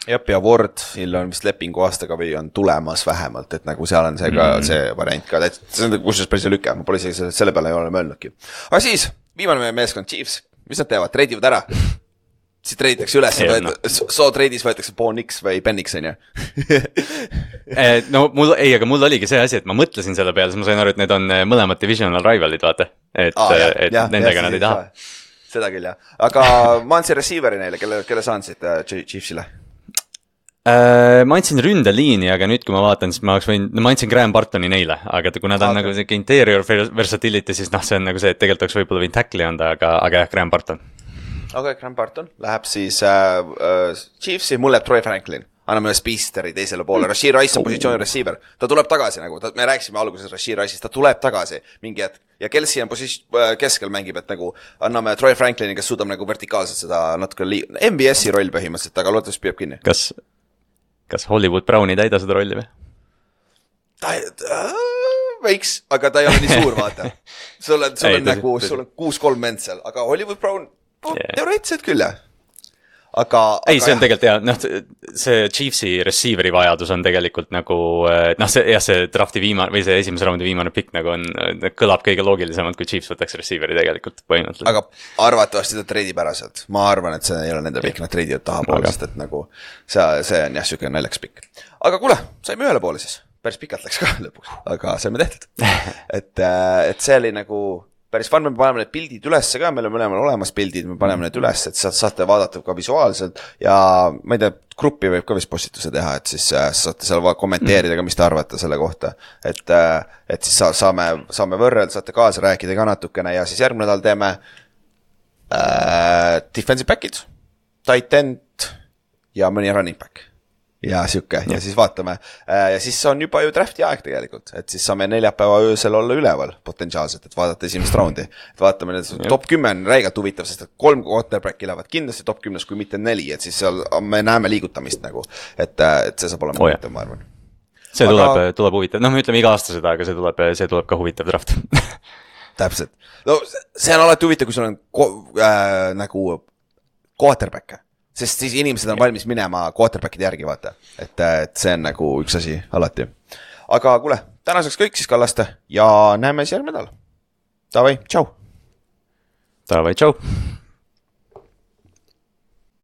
Jep, ja Wardil on vist lepingu aastaga või on tulemas vähemalt, et nagu seal on see ka mm. see variant ka, et see on kusjuures päris lüke, ma pole isegi selle peale ei ole mõelnudki. Aga siis, viimane meie meeskond Chiefs, mis nad teevad, treidivad ära? Siis treiditakse üles, no. So treidis võetakse Bo Nix või Penix, on ju? No mul, ei, aga mul oligi see asi, et ma mõtlesin selle peale, siis ma sain aru, et need on mõlemad divisional rivalid, vaata. Et, ah, jah, et jah, nendega jah, nad ei taha. Seda küll, jah. Aga ma andsin receiveri neile, kelle, kelle sa andsid uh, Chiefsile? Uh, ma andsin ründeliini, aga nüüd kui ma vaatan, siis ma oleks võin, no ma andsin Graham Bartoni neile, aga kui nad on okay. nagu see interior versatility, siis noh, see on nagu see, et tegelikult oleks võib-olla võin tackli anda, aga, aga jah, Graham Barton. Ok, Graham Barton läheb siis äh, äh, Chiefsi, mul läheb Troy Franklin, anname ühe Speedsteri teisele poole, Rashid Rice on positsiooni receiver, ta tuleb tagasi nagu, ta, me rääkisime alguses Rashid Rice'ist, ta tuleb tagasi mingi hetk ja Kelsey on posis, äh, keskel mängib, et nagu anname Troy Franklini, kes suudab nagu vertikaalselt seda natuke li- M B S-i roll põhimõtteliselt, aga loodetavasti püüab kinni. Kas, kas Hollywood Brown ei täida seda rolli või? Ta äh, võiks, aga ta ei ole nii suur, vaata. Sul on, sul on ei, nagu, sul on kuus kolm mend seal, aga Hollywood Brown yeah. teoreetiliselt küll, jah. Aga, ei, aga see on jah. Tegelikult jah, noh, see Chiefsi receiveri vajadus on tegelikult nagu, noh, see, jah, see drafti viimane, või see esimese raundi viimane pikk nagu on, kõlab kõige loogilisemalt, kui Chiefs võtaks receiveri tegelikult põhimõtteliselt. Aga arvatavasti ta treidib ära sealt. Ma arvan, et see ei ole nende pikk, nad treidivad taha poole, sest et nagu see, see on jah, süke naljaks pikk. Aga kuule, saime ühele poole siis. Päris pikalt läks ka lõpuks, aga saime tehtud. et, et see oli nagu päris fun, me paneme need pildid ülesse ka, meil on mõlemal olemas pildid, me paneme need üles, et saate vaadata ka visuaalselt ja ma ei tea, gruppi võib ka vist postituse teha, et siis saate seal kommenteerida ka, mis te arvate selle kohta, et, et siis saame, saame võrrelda, saate kaasa rääkida ka natukene ja siis järgmine nädal teeme äh, defensive back'id, tight end ja mõni running back. Ja siuke, ja siis vaatame. Ja siis on juba ju drafti aeg tegelikult, et siis saame neljapäeva öösel olla üleval potentsiaalselt, et vaadata esimest raundi. Et vaatame, et top kümme on räigelt huvitav, sest et kolm quarterbacki lähevad kindlasti top kümnes, kui mitte neli, et siis seal me näeme liigutamist nagu, et, et see saab olema oh, huvitav, ma arvan. See aga... tuleb, tuleb huvitav, noh me ütleme iga aasta seda, aga see tuleb, see tuleb ka huvitav draft. Täpselt. No see on alati huvitav, kui sul on ko- äh, nagu quarterback. Sest siis inimesed on valmis minema quarterbackide järgi, vaata. Et, et see on nagu üks asi alati. Aga kuule, tänaseks kõik siis Kallaste ja näeme siis järgmine nädal. Davai, tšau! Davai, tšau!